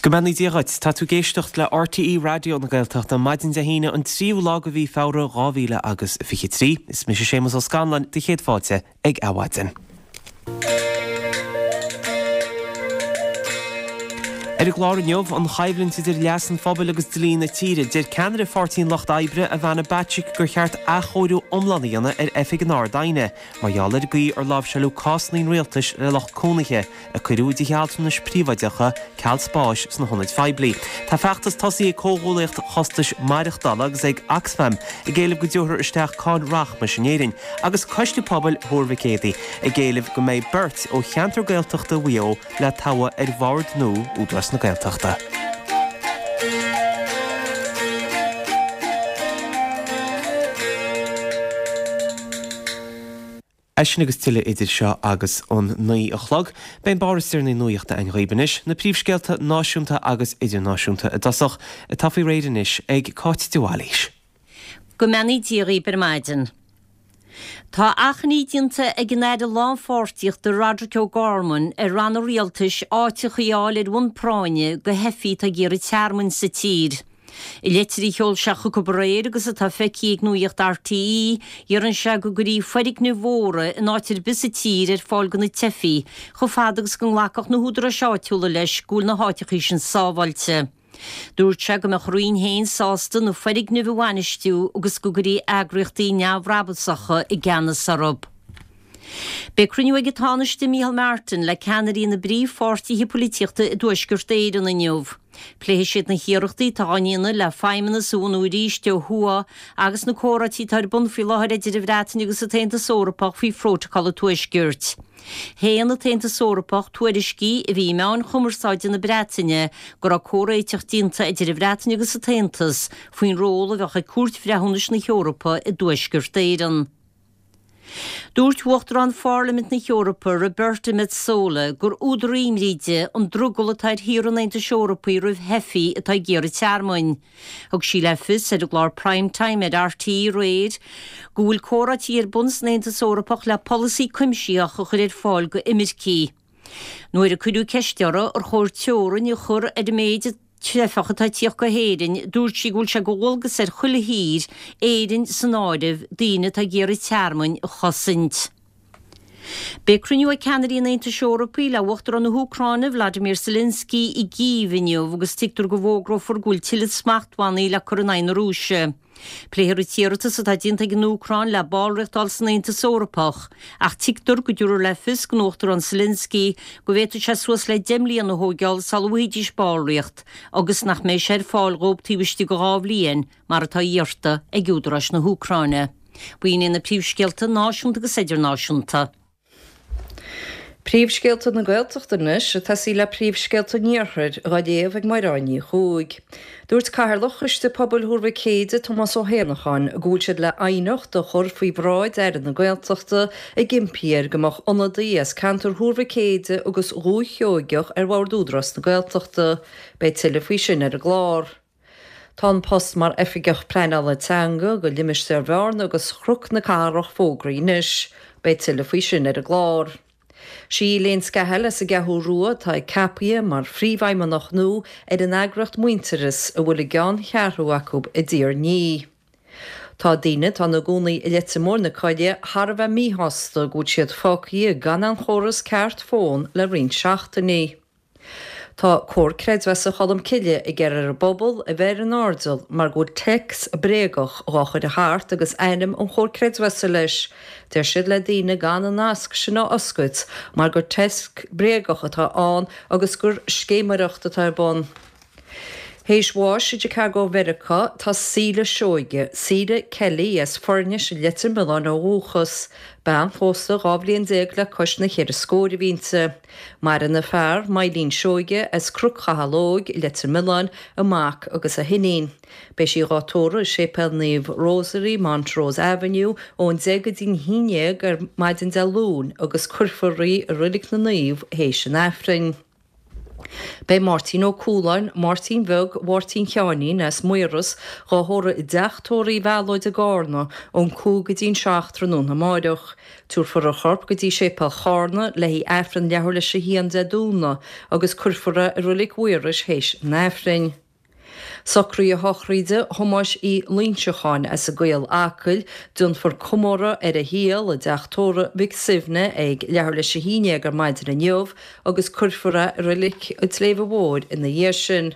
Go mbeannaí Dia dhuit. Tá tú ag éisteacht le RTÉ Raidió na Gaeltachta, maidin Dé hAoine an tríú lá de mhí Feabhra 2000 agus 23. Is mise Séamus Ó Scanláin, do chéad fáilte ag Adhmhaidin. Ar an gclár inniu, an choimhlint idir leas an phobail agus dlí na tíre. Deir ceannaire Pháirtí an Lucht Oibre, Ivana Bacik, gur cheart athchóiriú iomlán a dhéanamh ar Oifig an Ard-Aighne mar gheall ar an gcaoi ar láimhseáileadh cásanna an rialtais le lucht cónaithe a cuireadh i dtithe altranais príobháideacha ceal spáis sna hionaid phoiblí. Tá feachtas tosaithe ag Comhghuaillíocht Chostais Maireachtála agus ag Oxfam ag éileamh go dtabharfar isteach cáin rachmais in Éirinn agus Coiste Pobail Thuar Mhic Éadaigh ag éileamh go mbeidh beirt ó cheantar Gaeltachta Mhaigh Eo le toghadh ar bhord nua Údarás na Gaeltachta. É sin agus tuilleadh idir seo agus an 9 a chlog. Beidh an barr is deireanaí nuachta againn dhaoib anois, na príomhscéalta náisiúnta agus idirnáisiúnta i dtosach, atá faoi réir anois ag Cáit de Bhailís. Go mbeannaí Dia dhaoib ar maidin. Tá achainí déanta ag an Aire Lánpháirtíochta Roderic O'Gorman ar ranna rialtais áiteachaí a fháil ar bhonn práinne do theifigh atá ag iarraidh tearmainn sa tír. I leitir a sheol sé chucu aréir agus atá feicthe ag Nuacht RTÉ, iarrann sé go gcuirfí foirgnimh mhóra in áit ar bith sa tír ar fáil do na teifigh, chomh fada agus go nglacfadh na húdaráis áitiúla leis go bhfuil na háiteachaí sin sábháilte. Dúirt sé go mbeadh a roinn féin sásta na foirgnimh a bhainistiú agus go gcuirfí eagraíochtaí neamhbhrabasacha i gceannas orthu. Beidh cruinniú ag an Tánaiste Micheál Martin le ceannairí na bpríomhpháirtithe polaitíochta i dTuaisceart Éireann inniu. Pléifidh siad na hiarrachtaí atá á ndéanamh le Feidhmeannas a bhunú arís ó thuaidh agus na comhráití atá ar bun faoi láthair idir an Bhreatain agus an tAontas Eorpach faoi Phrótacal an Tuaiscirt. Shéan an tAontas Eorpach tuairiscí a bhí i meáin chumarsáide na Breataine go raibh comhréiteach déanta idir an Bhreatain agus an tAontas faoin ról a bheadh ag Cúirt Bhreithiúnais na hEorpa i dTuaisceart Éireann. Dúirt Uachtarán Pharlaimint na hEorpa, Roberta Metsola, gur údar imní di an drogall atá ar thíortha an Aontais Eorpaigh roimh theifigh atá ag iarraidh tearmainn. Thug sí le fios ar an gclár Prime Time ar RTÉ aréir go bhfuil comhráití ar bun san Aontas Eorpach le polasaí cuimsitheach a chur ar fáil go imircigh. Nuair a cuireadh ceist uirthi ar chóir teorainn a chur ar an méid teifeach atá ag tíocht go hÉirinn, dúirt sí go bhfuil sé de dhualgas ar chuile thír, Éirinn san áireamh, daoine atá ag iarraidh tearmainn a chosaint. Beidh cruinniú ag ceannairí an Aontais Eorpaigh le Uachtarán na hÚcráine, Vladimir Zelensky, i gCív inniu agus tuigtear go bhfógrófar go bhfuil tuilleadh smachtbhannaí le cur in aghaidh na Rúise. Pléifear an t-iarratas atá déanta ag an Úcráin le ballraíocht a fháil san Aontas Eorpach, ach tuigtear go dtabharfar le fios don Uachtarán Zelensky go bhféadfadh sé suas le 10 mbliana a thóigeáil sula bhfaighidís ballraíocht agus nach mbeidh sé ar fáil dhóibh taobh istigh de 2 bhliain, mar atá iarrta ag údaráis na hÚcráine. B'in iad na príomhscéalta náisiúnta agus idirnáisiúnta. Príomhscéalta na Gaeltachta anois, ag tosaí le príomhscéalta an Iarthair, dhá léamh ag Mairéad Ní Chuaig. Dúirt Cathaoirleach Choiste Pobail Thuar Mhic Éide, Tomás Ó hÉanacháin, go bhfuil siad le aighneacht a chur faoi bhráid Aire na Gaeltachta ag impí air go mbeadh ionadaí as ceantar Thuar Mhic Éide agus Dhúiche Sheoigeach ar Bhord Údarás na Gaeltachta. Beidh tuilleadh faoi sin ar an gclár. Tá an post mar Oifigeach Pleanála Teanga do limistéar Bhearna agus Chnoc na Cathrach fógraithe anois. Beidh tuilleadh faoi sin ar an gclár. Sí Elaine Scahill as an gCeathrú Rua atá ceaptha mar phríomhfheidhmeannach nua ar an eagraíocht Muintearas a bhfuil a gceanncheathrú acu i dTír an Fhia. Tá daoine atá ina gcónaí i Leitir Móir na Coille thar a bheith míshásta go bhfuil siad fágtha gan aon chóras ceart fón le roinnt seachtainí. Tá Comhar Creidmheasa Cholmcille ag iarraidh ar an bpobal a bheith ar an airdeall mar go bhfuil téacs bréagach dhá chur thart agus ainm an Chomhair Creidmheasa leis. Deir siad le daoine gan an nasc sin a oscailt mar gur téacs bréagach atá ann agus gur scéiméireacht atá ar bun. Théis bháis i Chicago Mheiriceá tá Síle Seoige, Síle Kelly as Foirnis i Leitir Mealláin ó dhúchas. Bean phósta 12 bhliain le cois na cheithre scóir a bhí inti. Maireann a fear, Myleen Seoige as Cnoc Chathail Óig, Leitir Mealláin, a mac agus a hiníon. Beidh sí dhá tórramh i Séipéal Naomh Rosary, Montrose Avenue, ón 10 go dtí'n 11 ar maidin Dé Luain agus cuirfear í i Roilig na Naomh théis an Aifrinn. Beidh Máirtín Ó Cualáin, Máirtín Bheag Mháirtín Sheáinín as Maoras, dhá thórramh i dteach tórraimh Uí Mhealóid i gCárna ón 5 go dtí'n 7 tráthnóna amáireach. Tabharfar a chorp go dtí Séipéal Chárna le haghaidh Aifreann leathuair leis a haon Dé Domhnaigh agus cuirfear é i Roilic Mhaorais théis an Aifrinn. Socruithe sochraide Thomáis Uí Loingseacháin as an gCaol Acaill, déanfar comóradh ar a shaol i dteach tórraimh Mhic Suibhne ag leathuair leis a haon dhéag ar maidin inniu agus cuirfear é i Roilic an tSléibhe Mhóir ina dhiaidh sin.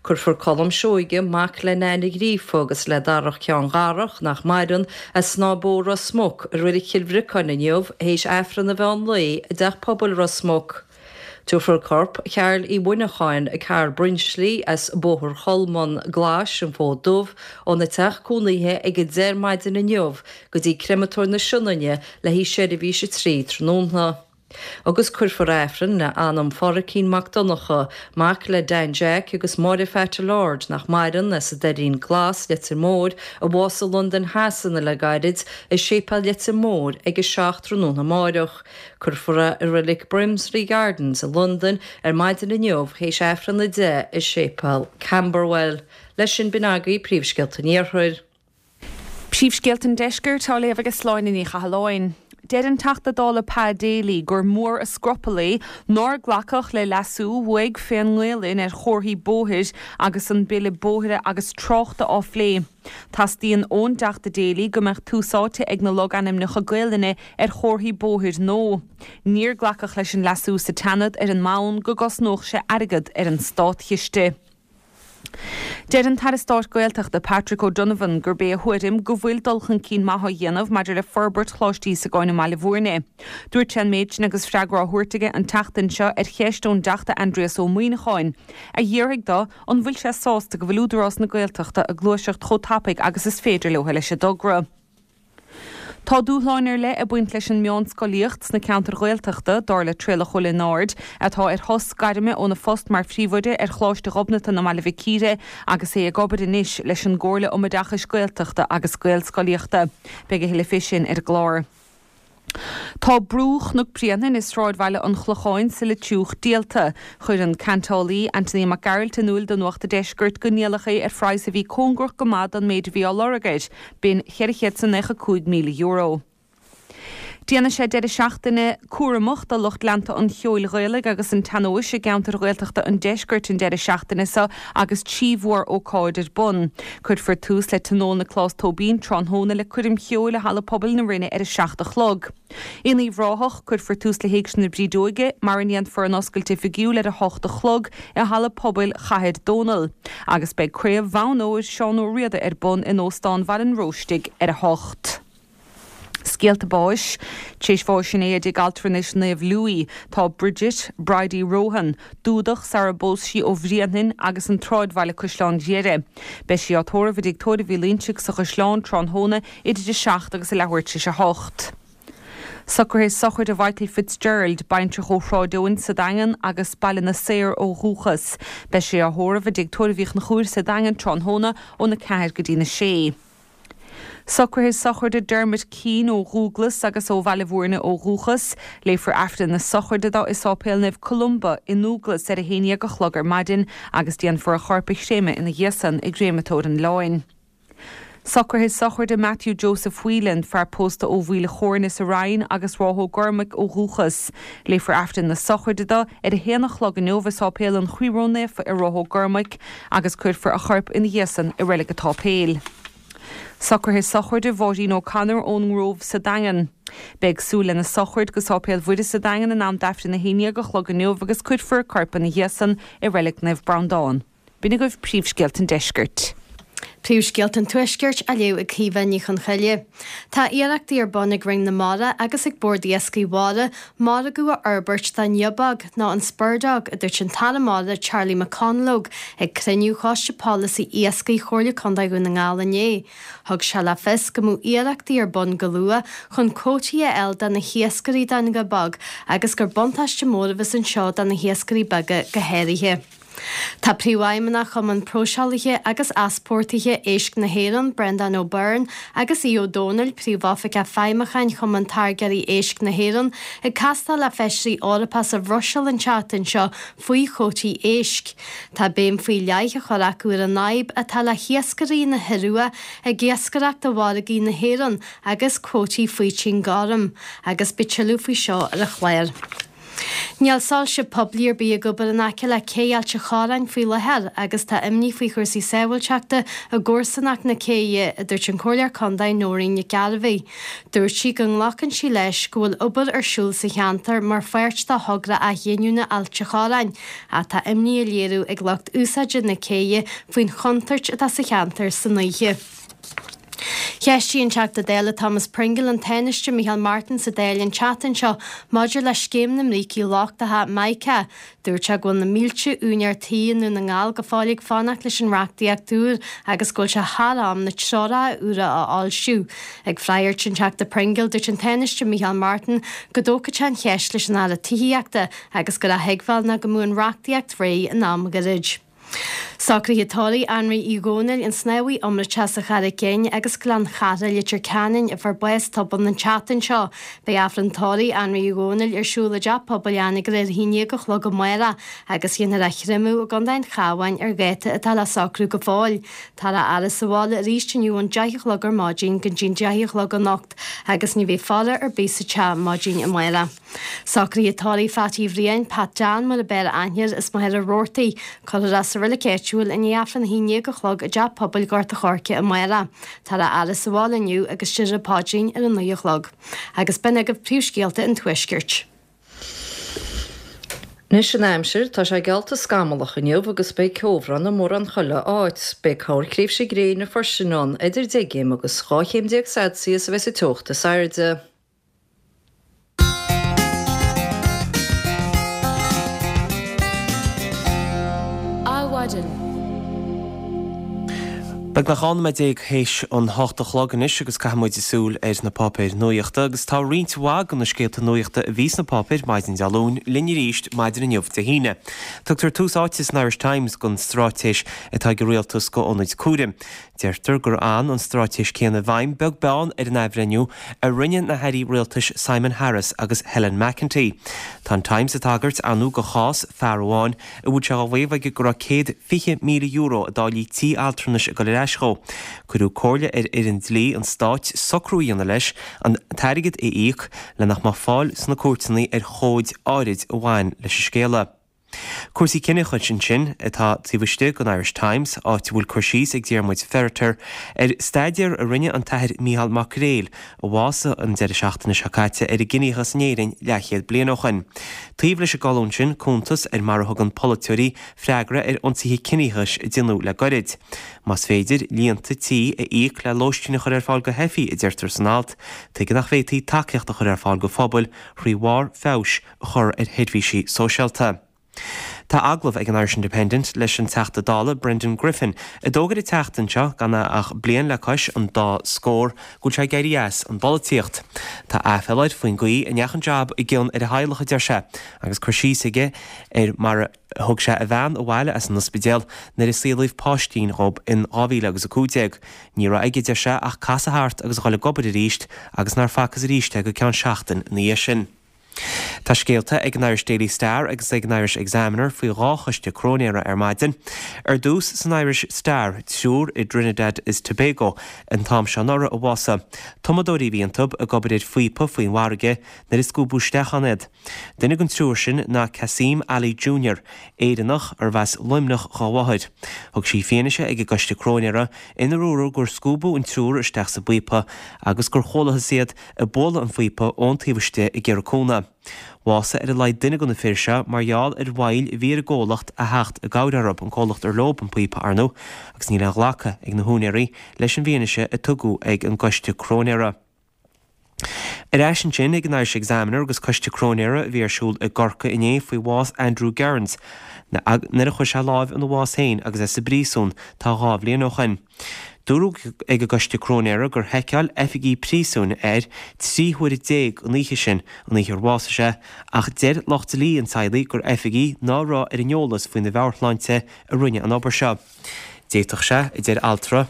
Cuirfear Colm Seoige, mac le Nain Uí Ghríofa agus le Darach Ceann Dharach, nach maireann, as Snáth Bó, Ros Muc, i Roilic Chill Bhriocáin inniu théis Aifreann an mheán lae i dTeach Pobail Ros Muc. Tabharfar corp Chearl Uí Mhuineacháin, Carl Bruinslí, as Bóthar Cholmáin Ghlais, An Fód Dubh, óna teach cónaithe ag 10 ar maidin inniu go dtí Créamatóir na Sionainne le haghaidh seirbhís 3 tráthnóna. Agus cuirfear Aifreann le anam Phádhraic Mac Donncha, mac le Dan Jack agus Máire Pheaití Lord, nach maireann, as an Doirín Glas, Leitir Móir, a bhásaigh i Londain Shasana le gairid, i Séipéal Leitir Móir ag 7 tráthnóna amáireach. Cuirfear é i Reilig Brimsley Gardens i Londain ar maidin inniu théis Aifreann 10 i Séipéal Camberwell. Leis sin b'in agaibh príomhscéalta an Iarthair. Príomhscéalta an Deiscirt á léamh ag Sláine Ní Chathalláin. Deir an Teachta Dála Pa Daly gur mór a scrupall é nár glacadh le leasú uaidh fén nGaolainn ar chomharthaí bóthair agus an Bille Bóithre agus Tráchta á phlé. Teastaíonn ón dTeachta Daly go mbeadh tús áite ag na logainmneacha Gaelainne ar chomharthaí bóthair nó níor glacadh leis an leasú sa tSeanad ar an mbonn go gcosnódh sé airgead ar an státchiste. Deir an tAire Stáit Gaeltachta Patrick O'Donovan gurb é a thuairim go bhfuil dul chun cinn maith á dhéanamh maidir le forbairt Choláiste Íosagáin i mBaile Bhúirne. Dúirt sé an méid sin agus freagra á thabhairt aige an tseachtain seo ar cheist ón dTeachta Aindrias Ó Muimhneacháin, a d'fhiafraigh de an bhfuil sé sásta go bhfuil Údarás na Gaeltachta ag gluaiseacht chomh tapaidh agus is féidir leo leis an dtogra. Tá dúshláin ar leith ag baint leis an meánscolaíocht sna ceantair Ghaeltachta, dar le Traolach Ó Lionáird, atá ar shos gairme óna phost mar phríomhoide ar Choláiste Ghobnatan i mBaile Mhic Íre agus é ag obair anois leis an gComhairle um Oideachais Gaeltachta agus Gaelscolaíochta. Beidh a thuilleadh fé sin ar an gclár. Tá brú Chnoc Bréanainn i sráidbhaile an Chlocháin sa Leitriúch díolta. Chuir an ceantálaí, Anthony Mac Gearailt in iúil do Nuacht a' Deiscirt go ndíoladh é ar phraghas a bhí cóngarach go maith don méid a bhí á lorg air, b'in €495,000. Déanfaidh sé deireadh seachtaine cúramach do lucht leanta an cheoil Ghaelaigh agus an tsean-nóis i gceantar Ghaeltachta an Deiscirt an deireadh seachtaine seo agus 3 mhór-ócáid ar bun. Cuirfear tús le Tionól Nioclás Tóibín tráthnóna le coirm cheoil i Halla Pobail na Rinne ar a 7 a chlog. In Uíbh Ráthach, cuirfear tús le hÉigse na Brídeoige, mar a ndéanfar an oscailt oifigiúil ar a 8 a chlog i Halla Pobail Chathair Dónall. Agus beidh Craobh Bhonn Óir Seán Ó Riada ar bun in Óstán Bhaile an Róistigh ar a 8. Scéalta báis. Tar éis bháis inné i dTigh Altranais Naomh Louis, tá Bridget, Bridie Rohan, Dúdach sara bpós sí ó Bhréanainn agus an tSráidbhaile Caisleán Ghriaire. Beidh sí á tórramh i dTigh Tórraimh Uí Loinsigh sa Chaisleán tráthnóna idir a 7 agus a leathuair tar éis a 8. Socruithe sochraide Mhichael Fitzgerald, baintreach ó Shráid Eoin sa Daingean agus Baile na Saor ó dhúchas. Beidh sé á thórramh i dTigh Tórraimh Uí Chonchúir sa Daingean tráthnóna óna 4 go dtína 6. Socruithe sochraide Dermot Keane ó Dhúglas agus ó Bhaile Bhúirne ó dhúchas. Léifear Aifreann na sochraide dó i Sáipéal Naomh Columba i nDúglas ar a haon dhéag a chlog ar maidin agus déanfar a chorp a chréamadh ina dhiaidh san i gCréamatóir an Oileáin. Socruithe sochraide Matthew Joseph Whelan, fear pósta ó Mhaoil Chóirne sa Rinn agus Ráth Ó gCormaic ó dhúchas. Léifear Aifreann na sochraide dó ar a haon a chlog inniu i Sáipéal an Chroí Ró-Naofa i Ráth Ó gCormaic agus cuirfear a chorp ina dhiaidh san i Reilig an tSáipéil. Socruithe sochraide Mháirín O'Connor ón nGrove sa Daingean. Beidh súil lena sochraid go Sáipéal Mhuire sa Daingean in am d'Aifreann 11 a chlog inniu agus cuirfear a corp ina dhiaidh san i Reilig Naomh Breandán. B'in agaibh príomhscéalta an deiscirt. Príomhscéalta an Tuaiscirt á léamh ag Caoimhe Ní Chonchoille. Tá iarrachtaí ar bun ag Roinn na Mara agus ag Bord Iascaigh Mhara margadh a fhorbairt don ghiobóg, nó an spurdog, a dúirt an tAire Mara Charlie McConalogue ag cruinniú Choiste Polasaí Iascaigh Chomhairle Contae Dhún na nGall inné. Thug sé le fios go mbeadh iarrachtaí ar bun go luath chun cuótaí a fháil do na hiascairí don ghiobóg agus gur buntáiste mór a bheas anseo do na hiascairí beaga go háirithe. Tá Príomhfheidhmeannach Chumann Próiseálaithe agus Easpórtaithe Éisc na hÉireann, Breandán Ó Beirn, agus Aodh Ó Domhnaill, Príomhoifigeach Feidhmiúcháin Chumann Táirgeoirí Éisc na hÉireann, ag castáil le Feisirí Eorpacha sa Bhruiséil an tseachtain seo faoi chuótaí éisc. Tá béim faoi leith á chur acu ar an fhadhb atá le hiascairí na hIorua ag iascaireacht i bhfarraigí na hÉireann agus cuótaí faoitín gorm. Agus beidh tuilleadh faoi seo ar an chlár. Níl soilse poiblí ar bith ag obair in aice le Cé Ailt a' Chorráin faoi láthair agus tá imní faoi chúrsaí sábháilteachta i gcomharsanacht na céidhe, a dúirt an Comhairleoir Contae Nóirín Nic Gairbheith. Dúirt sí go nglacann sí leis go bhfuil obair ar siúl sa cheantar mar pháirt de thogra athghiniúna Ailt a' Chorráin ach tá imní á léiriú ag lucht úsáide na céidhe faoin chontúirt atá sa cheantar san oíche. Cheistigh an Teachta Dála Thomas Pringle an Tánaiste Micheál Martin sa Dáil an tseachtain seo maidir le scéim na mbrící lochtacha, Mica. Dúirt sé go bhfuil na mílte úinéir tí i nDún na nGall go fóill ag fanacht leis an reachtaíocht úr agus go bhfuil sé thar am na treoracha úra a fhoilsiú. Ag freagairt an Teachta Pringle, dúirt an Tánaiste Micheál Martin go dtógfadh sé an cheist leis an Aire Tithíochta agus gur a thuigbheáil ná go mbeadh an reachtaíocht réidh in am gairid. Socruithe tórraimh Anraí Uí Dhónaill, an snámhaí iomráiteach as an Charraic Fhinn agus Gleann Chartha, Leitir Ceanainn, a fuair bás tobann an tseachtain seo. Beidh Aifreann tórraimh Anraí Uí Dhónaill ar siúl i dTeach Pobail Anagaire ar a haon dhéag a chlog amárach agus dhéanfar é a chreimeadh i gContae an Chabháin ar dháta atá le socrú go fóill. Táthar á fhaire sa bhaile arís inniu ón deich a chlog ar maidin go dtí'n deich a chlog anocht agus ní bheidh faire ar bith sa teach maidin amárach. Socruithe tórraimh Phatty Bhriain, Pat Dan mar a b'fhearr aithne air, as Machaire Rabhartaigh. Cuirfear é sa reilig áitiúil i ndiaidh Aifreann a haon dhéag a chlog i dTeach Pobail Ghort a' Choirce amárach. Táthar á fhaire sa bhaile inniu agus déarfar an paidrín ar a naoi a chlog. Agus b'in agaibh príomhscéalta an Tuaiscirt. Anois an aimsir, tá sé geallta scamallach inniu agus beidh ceobhrán i mórán chuile áit. Beidh corrthréimhse gréine freisin ann, idir 10 gcéim agus 12 chéim Celsius a bheas an teocht is airde. Adhmhaidin. Beagnach 12 nóiméad théis an hocht a chlog anois agus caithfidh muid súil ar na páipéir nuachta agus tá roinnt mhaith de na scéalta nuachta a bhí sna páipéir maidin Dé Luain linn arís maidin inniu Dé hAoine. Tugtar tús áite san Irish Times don straitéis atá ag an rialtas go ionaid cúraim. Deirtear gur fhan an straitéis céanna i bhfeidhm beag beann ar an athbhreithniú a rinne na hairí rialtais Simon Harris agus Helen McEntee. Tá an Times ag tagairt ar ndóigh go chás fear amháin a bhfuil sé á mhaíomh aige go raibh €120,000 i dtáillí tí altranais ag dul ar ais dhó. Cuireadh comhairle ar fhoireann dlí an stáit socrú a dhéanamh leis an t-airgead a íoc le nach mbeadh fáil sna cúirteanna ar chomhaid áirid a bhain leis an scéala. Cúrsaí ciníochais ansin atá taobh istigh den Irish Times, áit a bhfuil cur síos ag Diarmuid Ferriter ar staidéar a rinne an tAthair Mícheál Mac Gréil, a bhásaigh an deireadh seachtaine seo caite, ar an gciníochas in Éirinn leathchéad bliain ó shoin. Taobh leis an gcolún sin, cuntas ar mar a thugann polaiteoirí freagra ar ionsaithe ciníochais a déanadh le goirid. Más féidir líonta tí a íoc le lóistín a chur ar fáil go theifigh, a deirtear san alt, tuige nach bhféadfaí tacaíocht a chur ar fáil go phobail thrí bharr feabhais a chur ar sheirbhísí sóisialta. Tá agallamh ag an Irish Independent leis an Teachta Dála Brendan Griffin, a d'fhógair an tseachtain seo, gan é ach bliain le cois an dá scór, go bhfuil sé ag éirí as an bpolaitíocht. Tá aiféala air faoin gcaoi a ndeachaigh an jab i gcion ar a theaghlach, a deir sé, agus cur síos aige ar mar a thug sé a bhean abhaile as an ospidéal nuair a saolaíodh páistín dhób in 2000 agus 15. Ní raibh aige, a deir sé, ach casadh thart agus a dhul ag obair arís agus nár facthas arís é go ceann seachtain ina dhiaidh sin. Tá scéalta ag an Irish Daily Star agus ag an Irish Examiner faoi dhá choiste cróinéara ar maidin. Ar dtús, san Irish Star, triúr i dTrinidad is Tobago an t-am seo anuraidh a bhásaigh. Tumadóirí a bhí iontu, ag obair ar phíopa faoin bhfarraige nuair a scuabadh isteach ann iad. Duine den triúr sin ná Kasim Ali Junior, Éireannach arbh as Luimneach dhá mháthair. Thug sí fianaise ag an gcoiste cróinéara inar dúradh gur scuabadh an triúr isteach sa bpíopa agus gur chualathas iad ag bualadh an phíopa ón taobh istigh ag iarraidh cúnamh. Bhásaigh ar a laghad duine de na fir seo mar gheall ar mhoill a bhí ar an gcomhlacht a theacht i gcabhair orthu, an comhlacht ar leob an píopa, ar ndóigh, agus níl aon ghlacadh ag na húinéirí leis an bhfianaise a tugadh ag an gcoiste cróinéara. Ar ais ansin ag an Irish Examiner agus coiste cróinéara a bhí ar siúl i gCorcaigh inné faoi bhás Andrew Gerrans nuair a chuir sé láimh ina bhás féin agus é sa bpríosún tá dhá bhliain ó shoin. Dúradh ag an gcoiste cróinéara gur sheiceáil oifigigh príosúin air 13 huaire an oíche sin, an oíche ar bhásaigh sé, ach deir lucht dlí an teaghlaigh gur oifigigh ná raibh ar an eolas faoina mheabhairshláinte a rinne an obair seo. D'fhéadfadh sé, a deir altra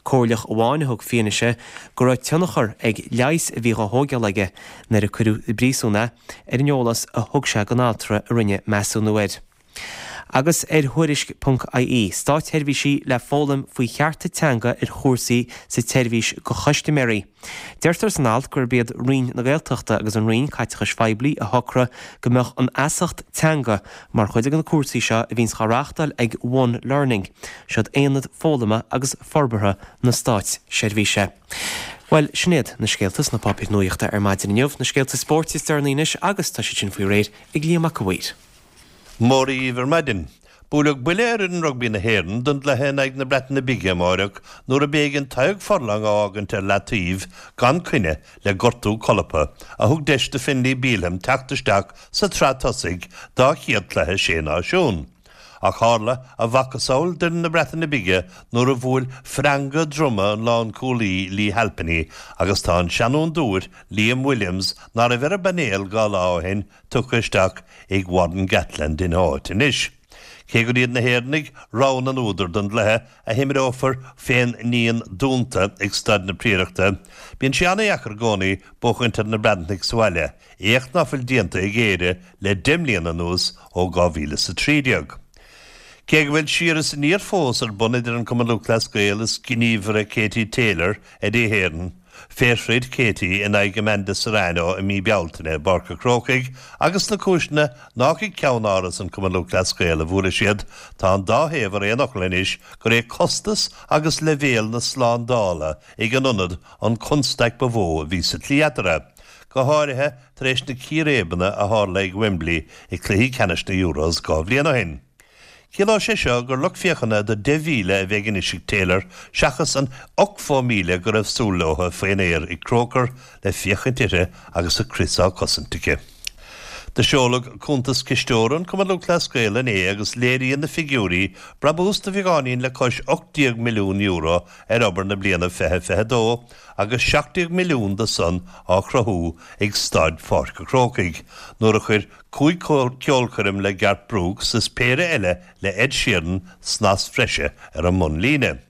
comhairleach amháin a thug fianaise, go raibh tionchar ag leigheas a bhí dhá thóigeáil aige nuair a cuireadh i bpríosún é, ar an eolas a thug sé don altra a rinne measúnú air. Agus ar Thuairisc ponc ie, Státseirbhísigh le foghlaim faoi chearta teanga ar chúrsaí sa tseirbhís do chustaiméirí. Deirtear san alt gurb iad Roinn na Gaeltachta agus an Roinn Caiteachais Phoiblí a shocraigh go mbeadh an fheasacht teanga mar chuid de na cúrsaí seo a bhíonns dhá reáchtáil ag One Learning, siod aonad foghlama agus forbartha na státseirbhíse. Bhuel, sin iad na scéalta sna páipéir nuachta ar maidin inniu, na scéalta spóirt is deireanaí anois agus tá siad sin faoi réir ag Liam Mac a' Mhaoir. Mora dhíbh ar maidin. Buaileadh buille ar fhoireann rugbaí na hÉireann don gcluiche in aghaidh na Breataine Bige amáireach nuair a b'éigean Tadhg Furlong a fhágaint ar leataobh gan coinne le gortú colpa a thug deis do Finlay Bealham teacht isteach sa tsraith tosaigh dá chéad cluiche Sé Náisiún. Ach tharla a mhacasamhail d'fhoireann na Breataine Bige nuair a bhuail freanga droma an lánchúlaí Leigh Halpenny agus tá an seanfhondúir Liam Williams ná raibh ar an bpainéal dhá lá ó shin tugtha isteach ag Warren Gatland ina áit anois. Cé gur iad na hÉireannaigh rogha na n-údar don gcluiche, a himreofar fén ndíon dúnta ag Staid na Priaireachta, bíonn sé an-dheacair i gcónaí buachaint ar na Breatnaigh sa bhaile, éacht ná fuil déanta ag Éire le 10 mbliana anuas ó 2013. Cé go bhfuil siar is aniar fós ar bun idir an Cumann Lúthchleas Gael is gníomhaire Katie Taylor, Eddie Hearn, fé throid Katie in aghaidh Amanda Serrano i mí Bealtaine i bPáirc a' Chrócaigh agus na cúiseanna nách ag ceann-áras an Chumainn Lúthchleas Gael a bhuaileadh siad, tá an dá thaobh ar aon fhocal anois gur é costas agus leibhéal na slándála ag an ionad an chonstaic ba mhó a bhí sa tslí eatarthu, go háirithe tar éis na círéibeanna a tharla ag Wembley i gcluichí ceannais na Euros 2 bhliain ó shin. Ciallóidh sé seo gur lucht féachana de 10,000 a bheidh anois ag Taylor seachas an 80,000 go raibh súil leo faoin aer ag Croker le féachaint uirthi agus a crios á cosaint aici. Do seoladh cuntas cisteora an Chumainn Lúthchleas Gael inné agus léiríonn na figiúirí brabús de bheagáinín le cois €18 milliún ar obair na bliana 2022 agus 17 milliún de san á chruthú ag Staid Pháirc a' Chrócaigh nuair a chuir 5 ceolchoirm le Garth Brooks is péire eile le Ed Sheeran snas bhreise ar an mbunlíne.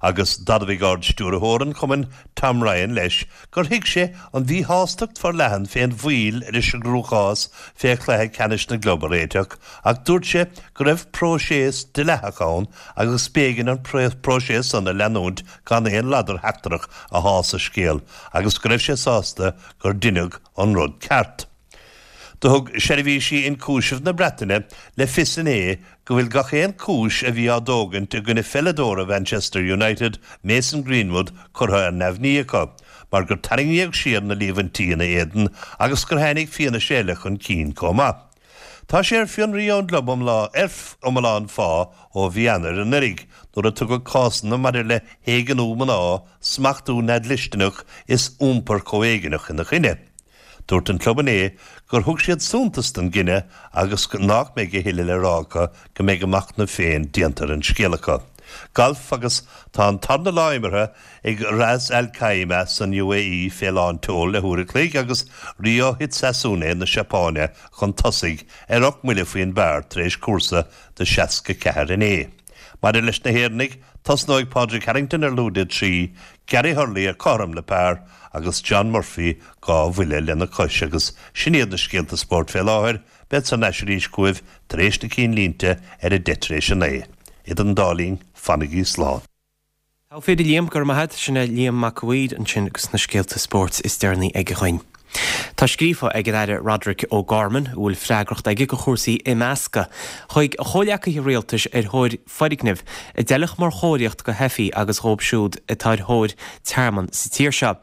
Agus d'admhaigh Ard-Stiúrthóir an chumainn Tom Ryan leis gur thuig sé an mhíshástacht forleathan fén mhoill leis an gcruachás fé chluiche ceannais na gclub a réiteach ach dúirt sé go raibh próiseas dleathach ann agus b'éigean an próiseas san a leanúint gan aon ladar sheachtrach a shá sa scéal agus go raibh sé sásta gur deineadh an rud ceart. Do thug seirbhísí ionchúisimh na Breataine le fios inné go bhfuil gach aon chúis a bhí á dtógaint i gcoinne pheileadóra Mhanchester United, Mason Greenwood, curtha ar neamhní acu mar gur tarraingíodh siar na líomhaintí ina éadan agus gur tháinig fianaise eile chun cinn chomh maith. Tá sé ar fionraí ón gclub ar iomlán phá ó mhí Eanáir anuraidh nuair a tugadh cásanna maidir le héigniú mná, smachtú neamhdhlisteanach is iompar comhéigneach ina choinne. Dúirt an club inné gur thug siad suntas don gcinneadh agus nach mbeidh a thuilleadh le rá acu go mbeidh a machnamh féin déanta ar an scéal acu. Galf agus tá an tarna lá imeartha ag Ras Al Khaimah san UAE fé lán tseoil le huair a chloig agus Ryo Hisatsune na Seapáine chun tosaigh ar 8 mbuille faoin bpar tar éis cúrsa de 64 inné. Maidir leis na hÉireannaigh, tosnóidh Pádraig Harrington ar lúide 3, Gary Hurley ar cothrom le par agus John Murphy 2 bhuille lena chois agus sin iad na scéalta spóirt fé láthair, bead thar n-ais arís chugaibh tar éis na cinnlínte ar a deich tar éis a naoi. Idir an dá linn, fanaigí slán. Togha fir a Liam, go raibh maith a't. Sin é Liam Mac a' Mhaoir ansin agus na scéalta spóirt is deireanaí aige dhuinn. Tá scríofa ag an Aire Roderic O'Gorman, a bhfuil freagracht aige do chúrsaí imeasctha, chuig a chomhleacaithe rialtais ar thóir foirgnimh a d'fheilfeadh mar chóiríocht do theifigh agus dhóibh siúd atá ar thóir tearmann sa tír seo.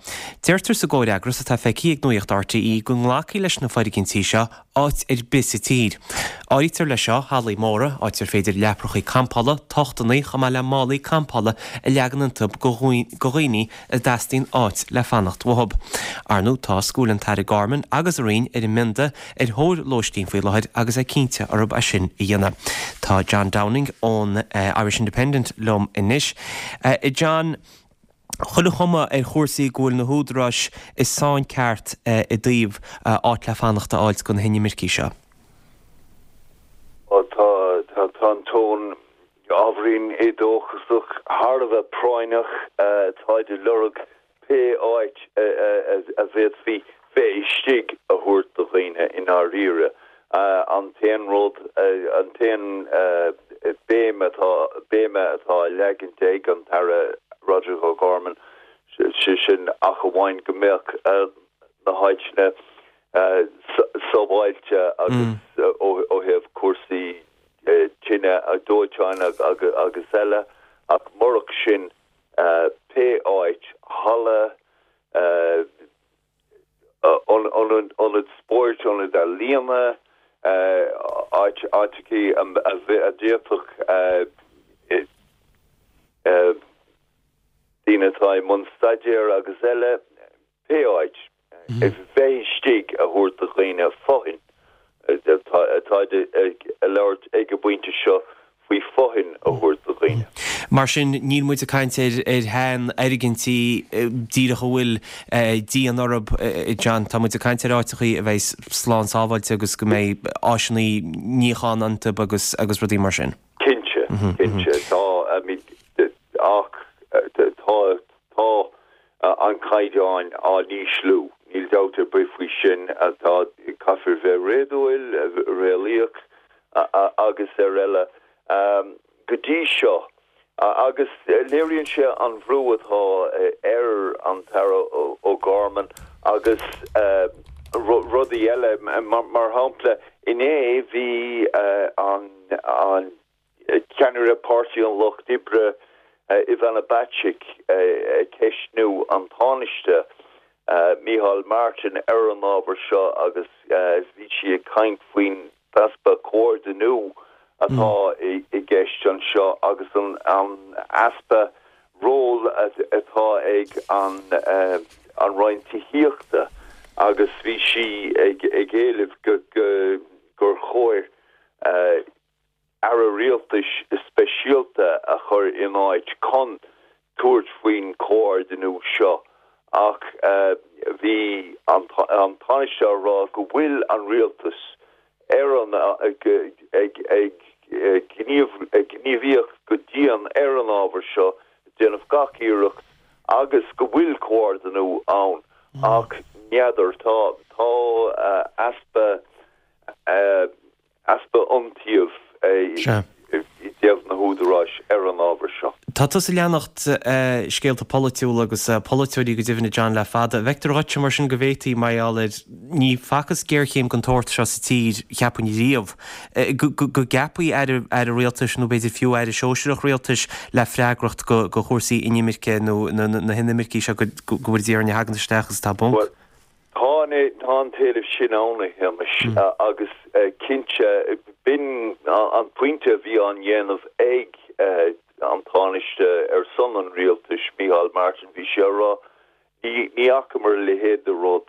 Deirtear sa gcomhfhreagras atá feicthe ag Nuacht RTÉ go nglacfaí leis na foirgintí seo áit ar bith sa tír. Áirítear leis seo hallaí móra, áit ar féidir leaprachaí campála, tochtanna, chomh maith le málaí campála a leagan iontu do dhaoine a dteastaíonn áit le fanacht uathu. Ar ndóigh, tá go bhfuil an tAire Gorman agus a Roinn ar an mbionda ar thóir lóistín faoi láthair agus é cinnte orthu é sin a dhéanamh. Tá John Downing ón Irish Independent liom anois. John. Chuile chuma ar chúrsaí go bhfuil na húdaráis i sáinn ceart i dtaobh áit le fanacht a fháilt do na hinimircigh seo. Tá an tón ábhairín éadóchasach, thar a bheith práinneach. Táid ag lorg pé áit a bhféadfaí bheith istigh a thabhairt do dhaoine i ndáiríre. An t-aon rud, an t-aon béim atá, béime atá á leagaint ag an tAire Roderic O'Gorman, sé sin ach amháin go mbeadh na háiteanna sábháilte agus ó thaobh cúrsaí tine, dóiteáin agus eile, ach murach sin pé áit, halla, ionad spóirt, ionad ealaíona, áiteachaí a d'fhéadfadh daoine atá i mbun staidéir agus eile, pé áit. bheith istigh a thabhairt do dhaoine fothain. Táid ag labhairt ag an bpointe seo faoi fothain a thabhairt do dhaoine. Mar sin, níl muid ag caint ar sheanfhoirgintí díreach a bhfuil díon orthu, John. Tá muid ag caint ar áiteachaí a bheidh slán sábháilte agus go mbeidh áiseanna níocháin iontu agus agus rudaí mar sin. Cinnte, cinnte. Tá, I mean, ach tá, tá an caighdeán á n-ísliú, níl dabht ar bith faoi sin. Tá, caithfear bheith réadúil, réalaíoch agus ar eile go dtí seo agus léiríonn sé an bhrú atá ar an tAire O'Gorman agus rudaí eile. Mar shampla, inné bhí an Ceannaire Páirtí an Lucht Oibre, Ivana Bacik, ag ceistniú an Tánaiste, Micheál Martin, ar an ábhar seo agus bhí sí ag caint faoin easpa comhordiniú atá i gceist anseo agus an easpa ról atá ag an Roinn Tithíochta agus bhí sí ag éileamh gur chóir aire rialtais speisialta a chur in áit chun tabhairt faoin chomhordiniú seo ach bhí an Tánaiste á rá go bhfuil an rialtas ar an ag ag gníomhaíocht go dian ar an ábhar seo, ag déanamh gach iarracht agus go bhfuil comhordiniú ann ach n'fheadar, tá tá easpa easpa iontaoibh i dtaobh na húdaráis ar an ábhar seo. Tá tusa ag leanacht scéalta polaitiúla agus polaiteoirí go deimhin a John le fada. An bhfeictear dhuitse mar sin go bhféadfaí, mar gheall ar, ní facthas géarchéim den tsórt seo sa tír, cheapfainn riamh, go gceapfaí aire, aire rialtais nó b'fhéidir fiú aire sóisearach rialtais le freagracht go chúrsaí inimirce nó na hinimircigh seo go bhfuil Dia orainn a thagann isteach agus atá bponc. Tá an t-éileamh sin ann, a Shéamais, agus cinnte, b'in an pointe a bhí á dhéanamh ag an Tánaiste ar son an rialtais, Micheál Martin, bhí sé á rá, ní fhacamar a leithéid de rud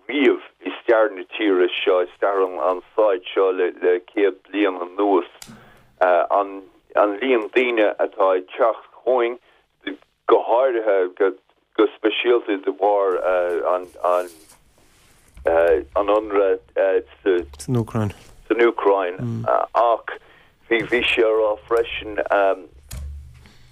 riamh i stair na tíre seo, i stair an stáit seo le 100 bliain anuas. An líon daoine atá ag teacht chugainn, go háirithe, go speisialta de bharr an ionradh san Úcráin. San Úcráin. Ach bhí sé á rá freisin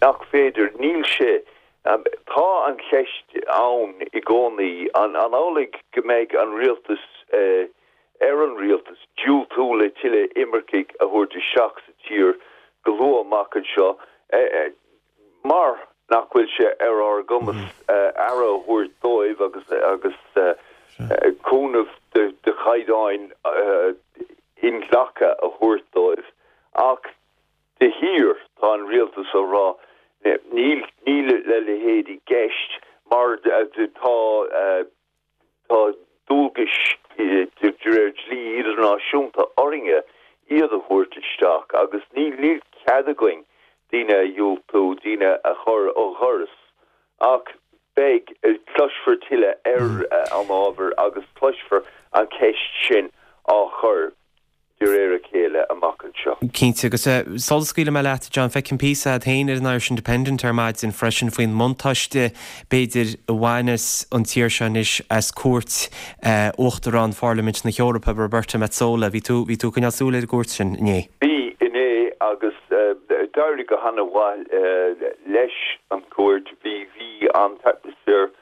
nach féidir, níl sé, tá an cheist ann i gcónaí, an amhlaidh go mbeidh an rialtas, ar an rialtas diúltú le tuilleadh imircigh a thabhairt isteach sa tír go luath amach anseo? mar nach bhfuil sé ar ár gcumas aire a thabhairt dóibh agus agus cúnamh de chaighdeáin inghlactha a thabhairt dóibh. Ach de shíor tá an rialtas á rá níl níl a leithéid i gceist mar tá Tá dualgais de réir dlí idirnáisiúnta orainne iad a thabhairt isteach agus níl cead againn daoine a dhiúltú, daoine a chur ó dhoras. Ach beidh, cloisfear tuilleadh ar an ábhar agus cloisfear an cheist sin á chur. De réir a chéile amach anseo. Cinnte, agus sula scaoilfidh mé leat, John, feicim píosa agat féin ar an Irish Independent ar maidin freisin faoin mbuntáiste, b'fhéidir, a bhaineas an tír seo anois as cuairt Uachtarán Pharlaimint na hEorpa, Roberta Metsola. Bhí tú, bhí tú ag coinneáil súil ar an gcuairt sin inné? Bhí, inné, agus d'éirigh go han-mhaith leis an chuairt. Bhí, bhí an t-atmaisféar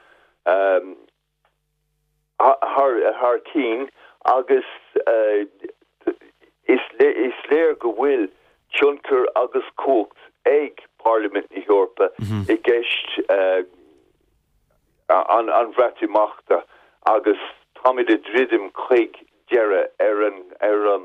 thar cinn agus is léir go bhfuil tionchar agus cumhacht ag Parlaimint na hEorpa i gceist an Bhreatimeachta agus táimid ag druidim chuig deireadh ar an